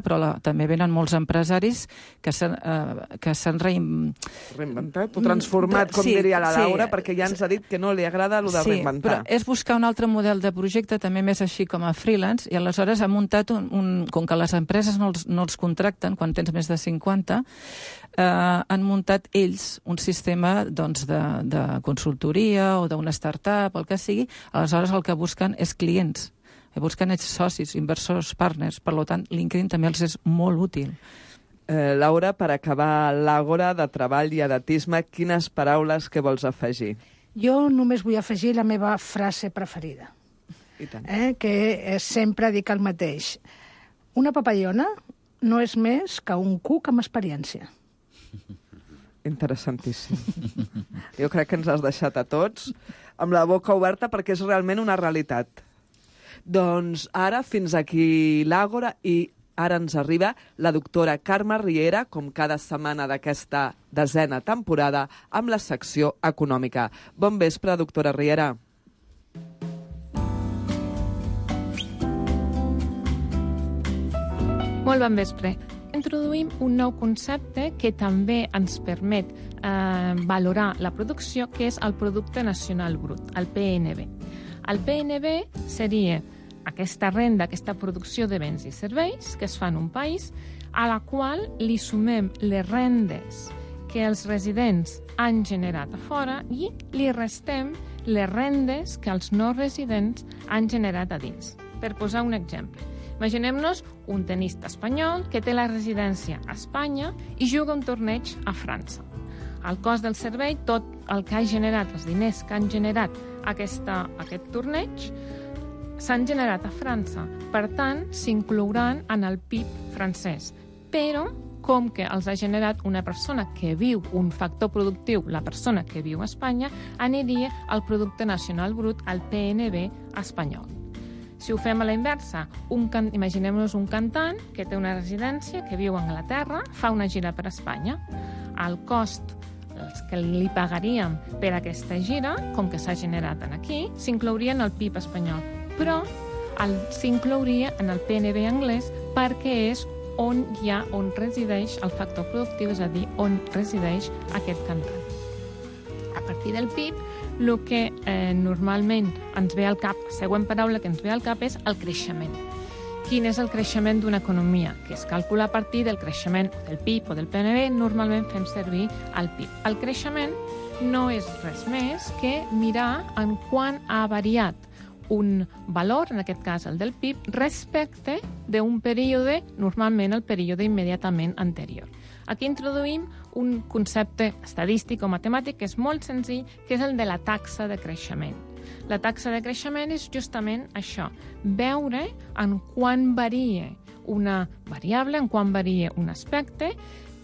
però també venen molts empresaris que s'han reinventat o transformat, com diria la Laura, perquè ja ens ha dit que no li agrada el de reinventar. Sí, però és buscar un altre model de projecte, també més així com a freelance, i aleshores ha muntat com que les empreses no els contracten quan tens més de 50, han muntat ells un sistema de consultoria o d'una startup, el que sigui. Aleshores el que busquen és clients, busquen ells socis, inversors, partners. Per tant, LinkedIn també els és molt útil. Laura, per acabar l'àgora de treball i edatisme, quines paraules que vols afegir? Jo només vull afegir la meva frase preferida, que sempre dic el mateix. Una papallona no és més que un cuc amb experiència. Interessantíssim. Jo crec que ens has deixat a tots amb la boca oberta perquè és realment una realitat. Doncs ara fins aquí l'àgora i ara ens arriba la doctora Carme Riera, com cada setmana d'aquesta 10ª temporada, amb la secció econòmica. Bon vespre, doctora Riera. Molt bon vespre. Introduïm un nou concepte que també ens permet valorar la producció, que és el Producte Nacional Brut, el PNB. El PNB seria aquesta renda, aquesta producció de béns i serveis que es fa en un país, a la qual li sumem les rendes que els residents han generat a fora i li restem les rendes que els no residents han generat a dins. Per posar un exemple, imaginem-nos un tenista espanyol que té la residència a Espanya i juga un torneig a França. El cost del servei, tot el que ha generat, els diners que han generat aquest torneig, s'han generat a França. Per tant, s'inclouran en el PIB francès. Però, com que els ha generat una persona que viu, un factor productiu, la persona que viu a Espanya, aniria al Producte Nacional Brut, al PNB espanyol. Si ho fem a la inversa, imaginem-nos un cantant que té una residència, que viu a Anglaterra, fa una gira per Espanya. El cost que li pagaríem per aquesta gira, com que s'ha generat aquí, s'inclouria en el PIB espanyol, però s'inclouria en el PNB anglès perquè és on resideix el factor productiu, és a dir, on resideix aquest cantant. A partir del PIB, el que normalment ens ve al cap, la següent paraula que ens ve al cap és el creixement. Quin és el creixement d'una economia? Que es calcula a partir del creixement del PIB o del PNB, normalment fem servir el PIB. El creixement no és res més que mirar en quant ha variat un valor, en aquest cas el del PIB, respecte d'un període, normalment el període immediatament anterior. Aquí introduïm un concepte estadístic o matemàtic que és molt senzill, que és el de la taxa de creixement. La taxa de creixement és justament això, veure en quant varia una variable, en quant varia un aspecte,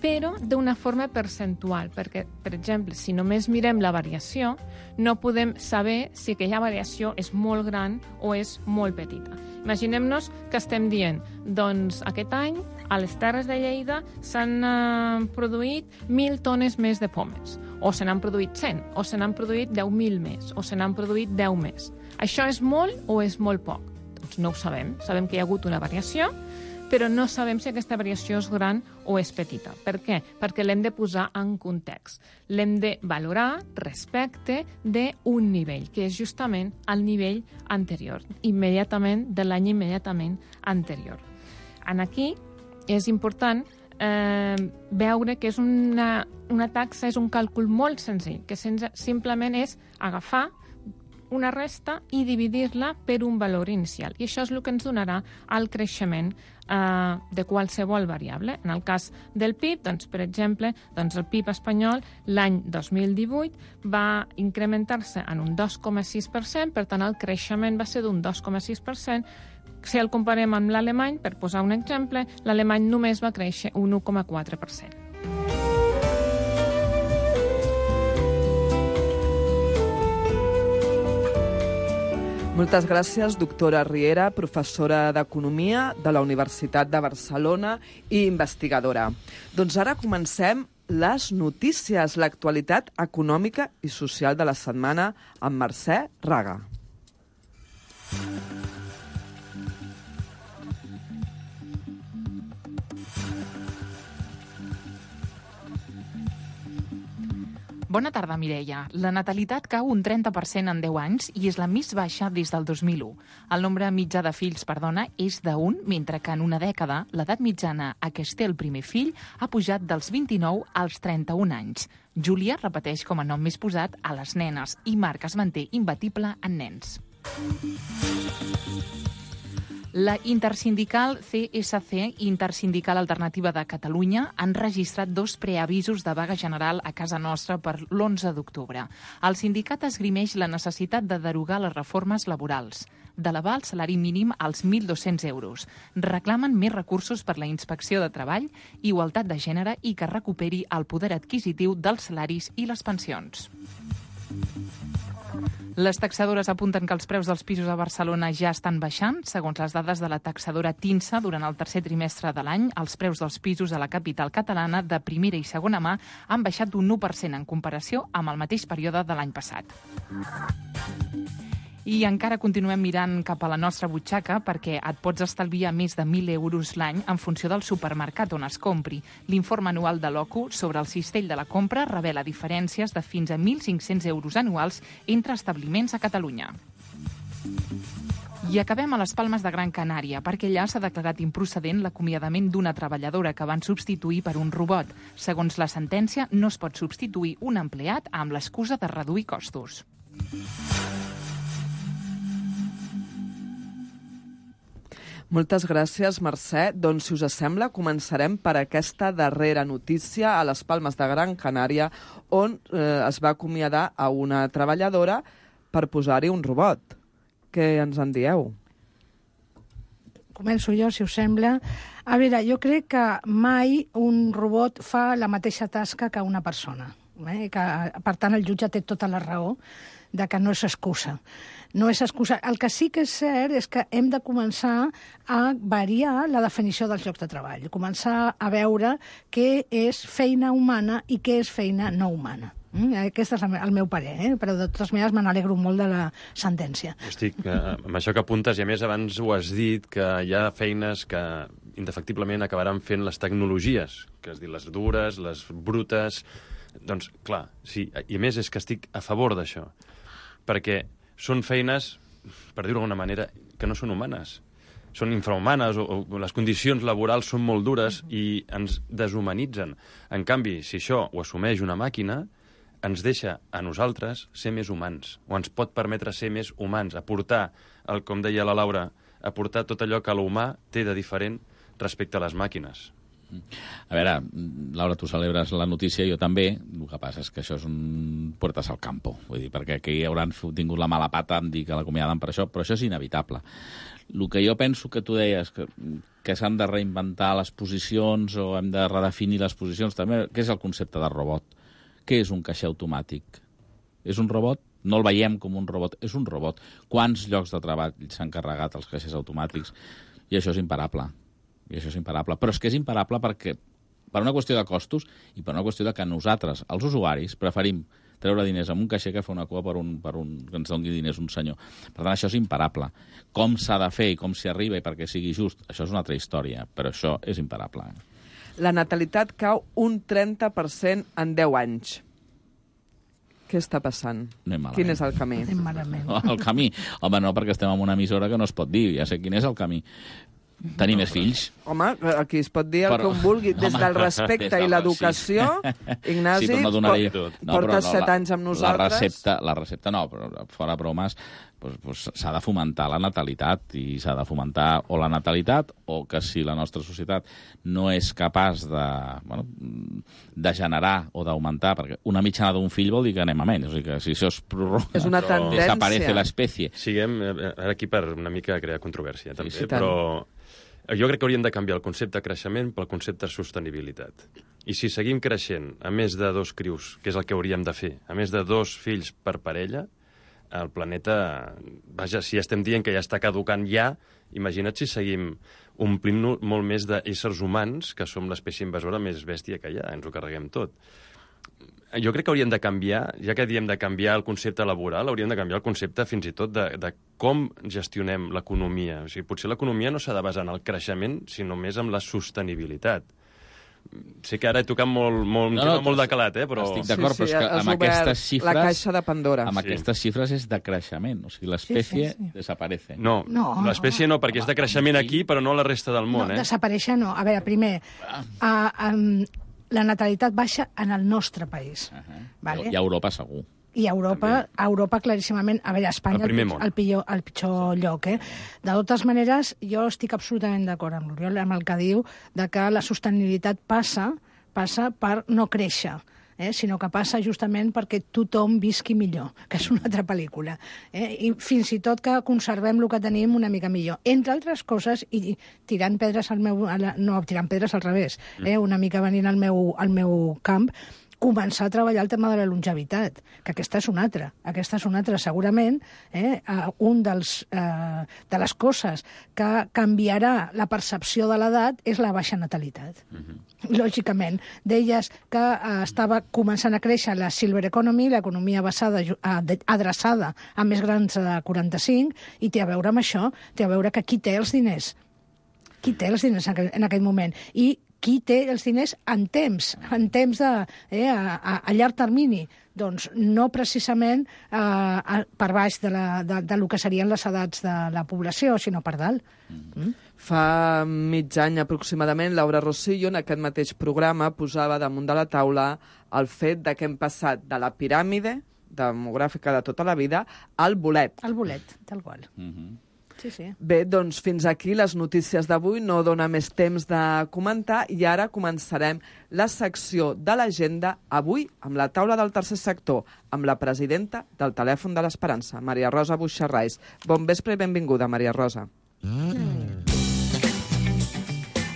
però d'una forma percentual, perquè, per exemple, si només mirem la variació, no podem saber si aquella variació és molt gran o és molt petita. Imaginem-nos que estem dient, doncs aquest any a les Terres de Lleida s'han produït 1.000 tones més de pomes, o se n'han produït 100, o se n'han produït 10.000 més, o se n'han produït 10 més. Això és molt o és molt poc? Doncs no ho sabem. Sabem que hi ha hagut una variació, però no sabem si aquesta variació és gran o és petita. Per què? Perquè l'hem de posar en context. L'hem de valorar respecte d'un nivell, que és justament el nivell anterior, immediatament de l'any immediatament anterior. Aquí és important veure que és una taxa, és un càlcul molt senzill, que simplement és agafar una resta i dividir-la per un valor inicial. I això és el que ens donarà el creixement de qualsevol variable. En el cas del PIB, doncs, per exemple, el PIB espanyol l'any 2018 va incrementar-se en un 2,6%, per tant, el creixement va ser d'un 2,6%. Si el comparem amb l'alemany, per posar un exemple, l'alemany només va créixer un 1,4%. Moltes gràcies, doctora Riera, professora d'Economia de la Universitat de Barcelona i investigadora. Doncs ara comencem les notícies, l'actualitat econòmica i social de la setmana amb Mercè Raga. Bona tarda, Mireia. La natalitat cau un 30% en 10 anys i és la més baixa des del 2001. El nombre mitjà de fills per dona és d'1, mentre que en una dècada l'edat mitjana a què es té el primer fill ha pujat dels 29 als 31 anys. Júlia repeteix com a nom més posat a les nenes i Marc es manté imbatible en nens. La intersindical CSC, Intersindical Alternativa de Catalunya, han registrat 2 preavisos de vaga general a casa nostra per l'11 d'octubre. El sindicat esgrimeix la necessitat de derogar les reformes laborals, d'elevar el salari mínim als 1.200 euros. Reclamen més recursos per la inspecció de treball, igualtat de gènere i que recuperi el poder adquisitiu dels salaris i les pensions. Les taxadores apunten que els preus dels pisos a Barcelona ja estan baixant. Segons les dades de la taxadora TINSA, durant el tercer trimestre de l'any, els preus dels pisos a la capital catalana de primera i segona mà han baixat un 1% en comparació amb el mateix període de l'any passat. I encara continuem mirant cap a la nostra butxaca perquè et pots estalviar més de 1.000 euros l'any en funció del supermercat on es compri. L'informe anual de l'OCU sobre el cistell de la compra revela diferències de fins a 1.500 euros anuals entre establiments a Catalunya. I acabem a les Palmes de Gran Canària, perquè allà s'ha declarat improcedent l'acomiadament d'una treballadora que van substituir per un robot. Segons la sentència, no es pot substituir un empleat amb l'excusa de reduir costos. Moltes gràcies, Mercè. Doncs, si us sembla, començarem per aquesta darrera notícia a les Palmes de Gran Canària, on es va acomiadar a una treballadora per posar-hi un robot. Què ens en dieu? Començo jo, si us sembla. A veure, jo crec que mai un robot fa la mateixa tasca que una persona. Que, per tant, el jutge té tota la raó de que no és excusa. No és excusa. El que sí que és cert és que hem de començar a variar la definició dels llocs de treball, començar a veure què és feina humana i què és feina no humana. Aquest és el meu parer, però de totes maneres me n'alegro molt de la sentència. Estic amb això que apuntes, i a més abans ho has dit, que hi ha feines que indefectiblement acabaran fent les tecnologies, que es diu les dures, les brutes. Doncs, clar, sí, i a més és que estic a favor d'això, perquè són feines, per dir-ho d'alguna manera, que no són humanes. Són infrahumanes o les condicions laborals són molt dures i ens deshumanitzen. En canvi, si això ho assumeix una màquina, ens deixa a nosaltres ser més humans, o ens pot permetre ser més humans, aportar, com deia la Laura, aportar tot allò que l'humà té de diferent respecte a les màquines. A veure, Laura, tu celebres la notícia, jo també. El que passa és que això és un puertas al campo. Vull dir, perquè aquí hauran tingut la mala pata en dir que l'acomiaden per això, però això és inevitable. El que jo penso que tu deies, que que s'han de reinventar les posicions o hem de redefinir les posicions. També, què és el concepte de robot? Què és un caixer automàtic? És un robot? No el veiem com un robot, és un robot. Quants llocs de treball s'han carregat els caixers automàtics? I això és imparable. Però és que és imparable perquè per una qüestió de costos i per una qüestió de que nosaltres, els usuaris, preferim treure diners amb un caixer que fer una cua per un que ens doni diners un senyor. Per tant, això és imparable. Com s'ha de fer i com s'hi arriba i perquè sigui just, això és una altra història, però això és imparable. La natalitat cau un 30% en 10 anys. Què està passant? Quin és el camí? Anem malament. El camí? Home, no, perquè estem en una emissora que no es pot dir. Ja sé quin és el camí. Tenir més fills. Home, aquí es pot dir el que un vulgui. Des del respecte i l'educació, Ignasi, portes 7 anys amb nosaltres. La recepta no, però fora bromes, s'ha de fomentar la natalitat i s'ha de fomentar o la natalitat o que si la nostra societat no és capaç de generar o d'augmentar, perquè una mitjana d'un fill vol dir que anem a menys, o sigui que si això es prorroga, és una tendència. Desaparece l'espècie. Siguem aquí per una mica crear controvèrsia, també, però jo crec que hauríem de canviar el concepte de creixement pel concepte de sostenibilitat. I si seguim creixent a més de 2 crius, que és el que hauríem de fer, a més de 2 fills per parella, el planeta, vaja, si estem dient que ja està caducant ja, imagina't si seguim omplint molt més d'éssers humans, que som l'espècie invasora més bèstia que hi ha, ens ho carreguem tot. Jo crec que hauríem de canviar, ja que diem de canviar el concepte laboral, hauríem de canviar el concepte fins i tot de com gestionem l'economia. O sigui, potser l'economia no s'ha de basar en el creixement, sinó més en la sostenibilitat. Sé que ara he tocat molt de calat, però... Estic d'acord, però és que amb aquestes xifres... La caixa de Pandora. Amb aquestes xifres és de creixement, o sigui, l'espècie desaparece. No, l'espècie no, perquè és de creixement aquí, però no a la resta del món. No, desaparèixer no. A veure, primer, la natalitat baixa en el nostre país. Vale? I a Europa segur. I a Europa claríssimament, a veure, Espanya el pitjor lloc. De totes maneres, jo estic absolutament d'acord amb l'Oriol, amb el que diu de que la sostenibilitat passa per no créixer, sinó que passa justament perquè tothom visqui millor, que és una altra pel·lícula. I fins i tot que conservem el que tenim una mica millor. Entre altres coses, i tirant pedres al revés, una mica venint al meu camp, començar a treballar el tema de la longevitat, que aquesta és una altra. Segurament, de les coses que canviarà la percepció de l'edat és la baixa natalitat. Lògicament. Deies que estava començant a créixer la silver economy, l'economia adreçada a més grans de 45, i té a veure amb això, té a veure que qui té els diners en aquell moment, i qui té els diners en temps a llarg termini. Doncs no precisament per baix de lo que serien les edats de la població, sinó per dalt. Fa mig any aproximadament, Laura Rosillo, en aquest mateix programa, posava damunt de la taula el fet de que hem passat de la piràmide demogràfica de tota la vida al bolet. Al bolet, tal qual. Sí. Bé, doncs fins aquí les notícies d'avui. No dona més temps de comentar i ara començarem la secció de l'agenda avui amb la taula del tercer sector, amb la presidenta del Telèfon de l'Esperança, Maria Rosa Buixarrais. Bon vespre i benvinguda, Maria Rosa.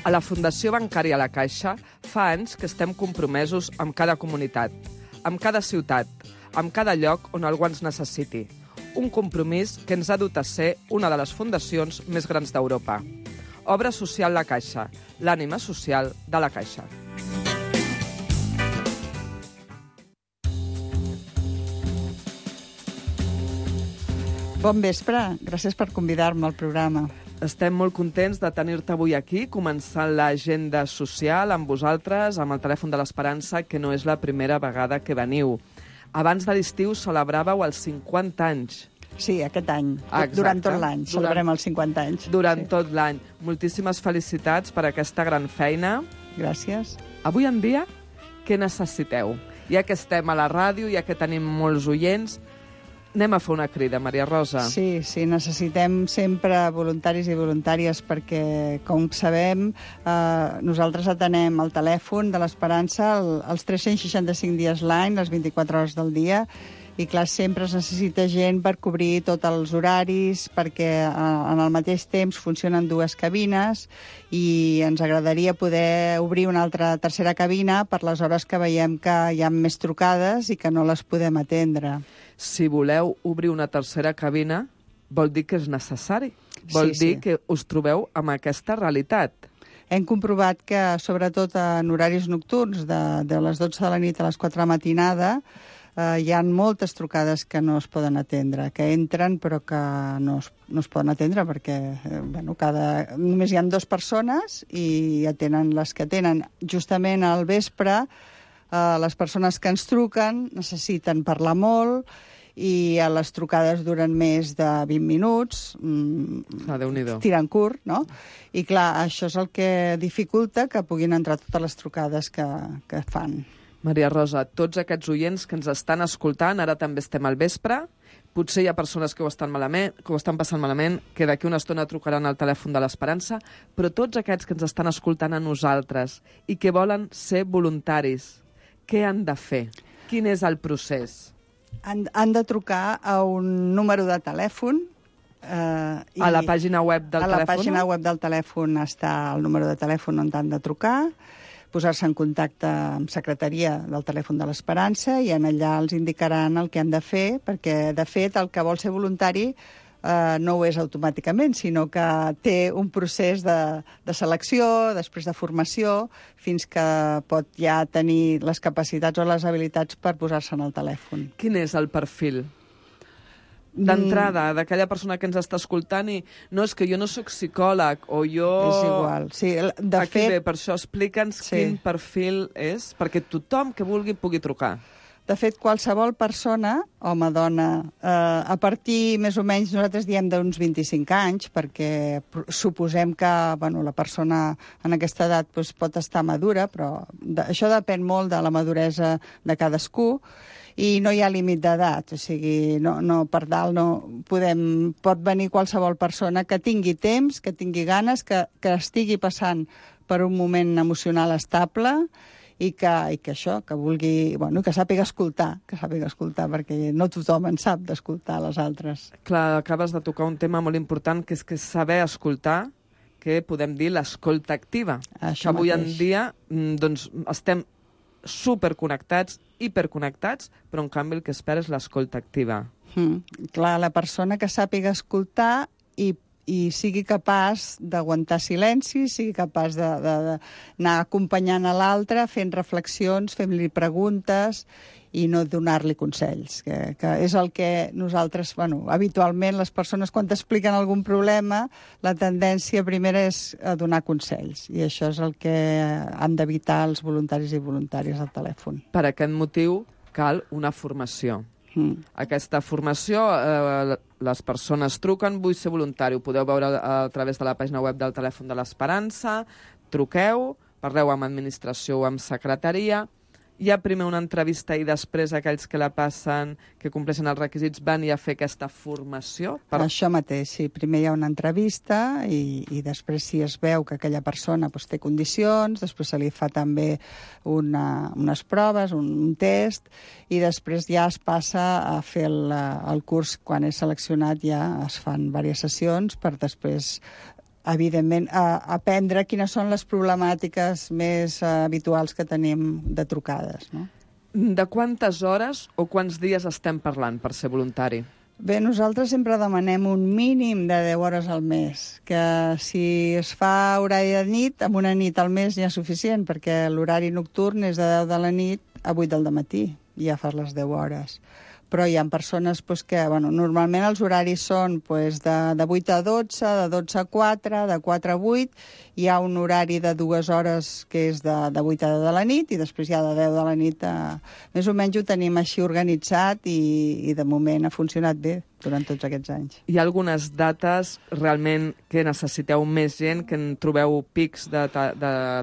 A la Fundació Bancària La Caixa fa anys que estem compromesos amb cada comunitat, amb cada ciutat, amb cada lloc on algú ens necessiti. Un compromís que ens ha dut a ser una de les fundacions més grans d'Europa. Obra Social La Caixa, l'ànima social de la Caixa. Bon vespre, gràcies per convidar-me al programa. Estem molt contents de tenir-te avui aquí, començant l'agenda social amb vosaltres, amb el Telèfon de l'Esperança, que no és la primera vegada que veniu. Abans de l'estiu celebràveu els 50 anys. Sí, aquest any. Exacte. Durant tot l'any. Celebrem els 50 anys. Durant tot l'any. Moltíssimes felicitats per aquesta gran feina. Gràcies. Avui en dia, què necessiteu? Ja que estem a la ràdio, ja que tenim molts oients, anem a fer una crida, Maria Rosa. Sí, necessitem sempre voluntaris i voluntàries perquè, com sabem, nosaltres atenem el telèfon de l'Esperança els 365 dies l'any, les 24 hores del dia, I, clar, sempre es necessita gent per cobrir tots els horaris, perquè en el mateix temps funcionen 2 cabines i ens agradaria poder obrir una tercera cabina per les hores que veiem que hi ha més trucades i que no les podem atendre. Si voleu obrir una tercera cabina, vol dir que és necessari. Vol dir que us trobeu amb aquesta realitat. Hem comprovat que, sobretot en horaris nocturns, de les 12 de la nit a les 4 de la matinada, hi ha moltes trucades que no es poden atendre, que entren però que no es poden atendre perquè només hi ha 2 persones i atenen les que atenen. Justament al vespre, les persones que ens truquen necessiten parlar molt i les trucades duren més de 20 minuts, tirant curt, no? I clar, això és el que dificulta que puguin entrar totes les trucades que fan. Maria Rosa, tots aquests oients que ens estan escoltant, ara també estem al vespre, potser hi ha persones que ho estan passant malament, que d'aquí una estona trucaran al telèfon de l'Esperança, però tots aquests que ens estan escoltant a nosaltres i que volen ser voluntaris, què han de fer? Quin és el procés? Han de trucar a un número de telèfon. A la pàgina web del telèfon? A la pàgina web del telèfon està el número de telèfon on han de trucar, posar-se en contacte amb secretaria del telèfon de l'Esperança i en allà els indicaran el que han de fer, perquè, de fet, el que vol ser voluntari no ho és automàticament, sinó que té un procés de selecció, després de formació, fins que pot ja tenir les capacitats o les habilitats per posar-se en el telèfon. Quin és el perfil d'entrada d'aquella persona que ens està escoltant i no, és que jo no sóc psicòleg o jo... És igual, sí. De fet... per això explica'ns quin perfil és, perquè tothom que vulgui pugui trucar. De fet, qualsevol persona, home, dona, a partir, més o menys, nosaltres diem d'uns 25 anys, perquè suposem que la persona en aquesta edat pot estar madura, però això depèn molt de la maduresa de cadascú, i no hi ha límit d'edat, o sigui, per dalt pot venir qualsevol persona que tingui temps, que tingui ganes, que estigui passant per un moment emocional estable, i que vulgui, que sàpiga escoltar, perquè no tothom en sap d'escoltar les altres. Clar, acabes de tocar un tema molt important, que és que saber escoltar, que podem dir l'escolta activa. Això avui mateix. en dia estem superconnectats, hiperconnectats, però en canvi el que espera és l'escolta activa. Clar, la persona que sàpiga escoltar i sigui capaç d'aguantar silenci, sigui capaç d'anar acompanyant a l'altre, fent reflexions, fent-li preguntes i no donar-li consells, que és el que nosaltres, habitualment les persones quan t'expliquen algun problema, la tendència primera és a donar consells, i això és el que han d'evitar els voluntaris i voluntàries al telèfon. Per aquest motiu cal una formació. Aquesta formació, les persones truquen, vull ser voluntari, ho podeu veure a través de la pàgina web del telèfon de l'Esperança, truqueu, parleu amb administració o amb secretaria, hi ha primer una entrevista i després aquells que la passen, que compleixen els requisits, van a fer aquesta formació? Això mateix, sí. Primer hi ha una entrevista i després si es veu que aquella persona té condicions, després se li fa també unes proves, un test, i després ja es passa a fer el curs. Quan és seleccionat ja es fan diverses sessions per després, evidentment, aprendre quines són les problemàtiques més habituals que tenim de trucades. No? De quantes hores o quants dies estem parlant per ser voluntari? Bé, nosaltres sempre demanem un mínim de 10 hores al mes, que si es fa horari de nit, amb una nit al mes ja és suficient, perquè l'horari nocturn és de 10 de la nit a 8 del matí, ja fas les 10 hores. Però hi ha persones que, normalment els horaris són de 8 a 12, de 12 a 4, de 4 a 8, hi ha un horari de 2 hores que és de 8 a 10 de la nit i després hi ha de 10 de la nit. Més o menys ho tenim així organitzat i de moment ha funcionat bé durant tots aquests anys. Hi ha algunes dates realment que necessiteu més gent, que en trobeu pics de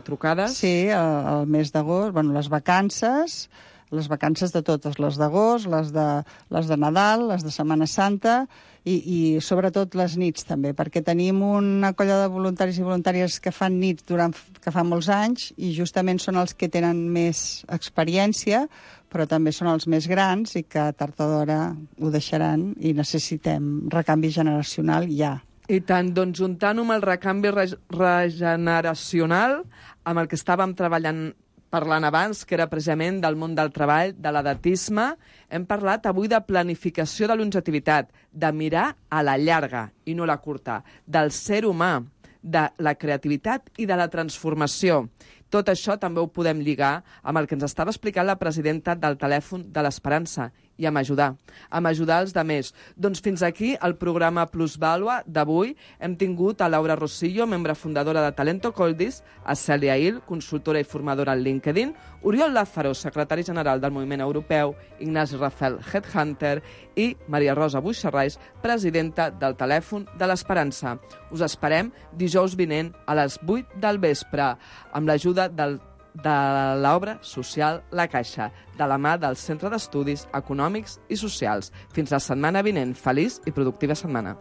trucades? Sí, el mes d'agost, les vacances, les vacances de totes, les d'agost, les de Nadal, les de Setmana Santa i sobretot les nits també, perquè tenim una colla de voluntaris i voluntàries que fan nits que fa molts anys i justament són els que tenen més experiència, però també són els més grans i que tard o d'hora ho deixaran i necessitem recanvi generacional ja. I tant, doncs juntant-ho amb el recanvi regeneracional, amb el que estàvem parlant abans, que era precisament del món del treball, de l'edatisme, hem parlat avui de planificació de longevitat, de mirar a la llarga i no la curta, del ser humà, de la creativitat i de la transformació. Tot això també ho podem lligar amb el que ens estava explicant la presidenta del Telèfon de l'Esperança i amb ajudar els demés. Doncs fins aquí el programa Plusvàlua d'avui. Hem tingut a Laura Rosillo, membre fundadora de Talento Coldis, a Cèlia Hill, consultora i formadora al LinkedIn, Oriol Lázaro, secretari general del Moviment Europeu, Ignasi Rafel, Headhunter, i Maria Rosa Buixarrais, presidenta del Telèfon de l'Esperança. Us esperem dijous vinent a les 8 del vespre, amb l'ajuda de l'obra social La Caixa, de la mà del Centre d'Estudis Econòmics i Socials. Fins la setmana vinent. Feliç i productiva setmana.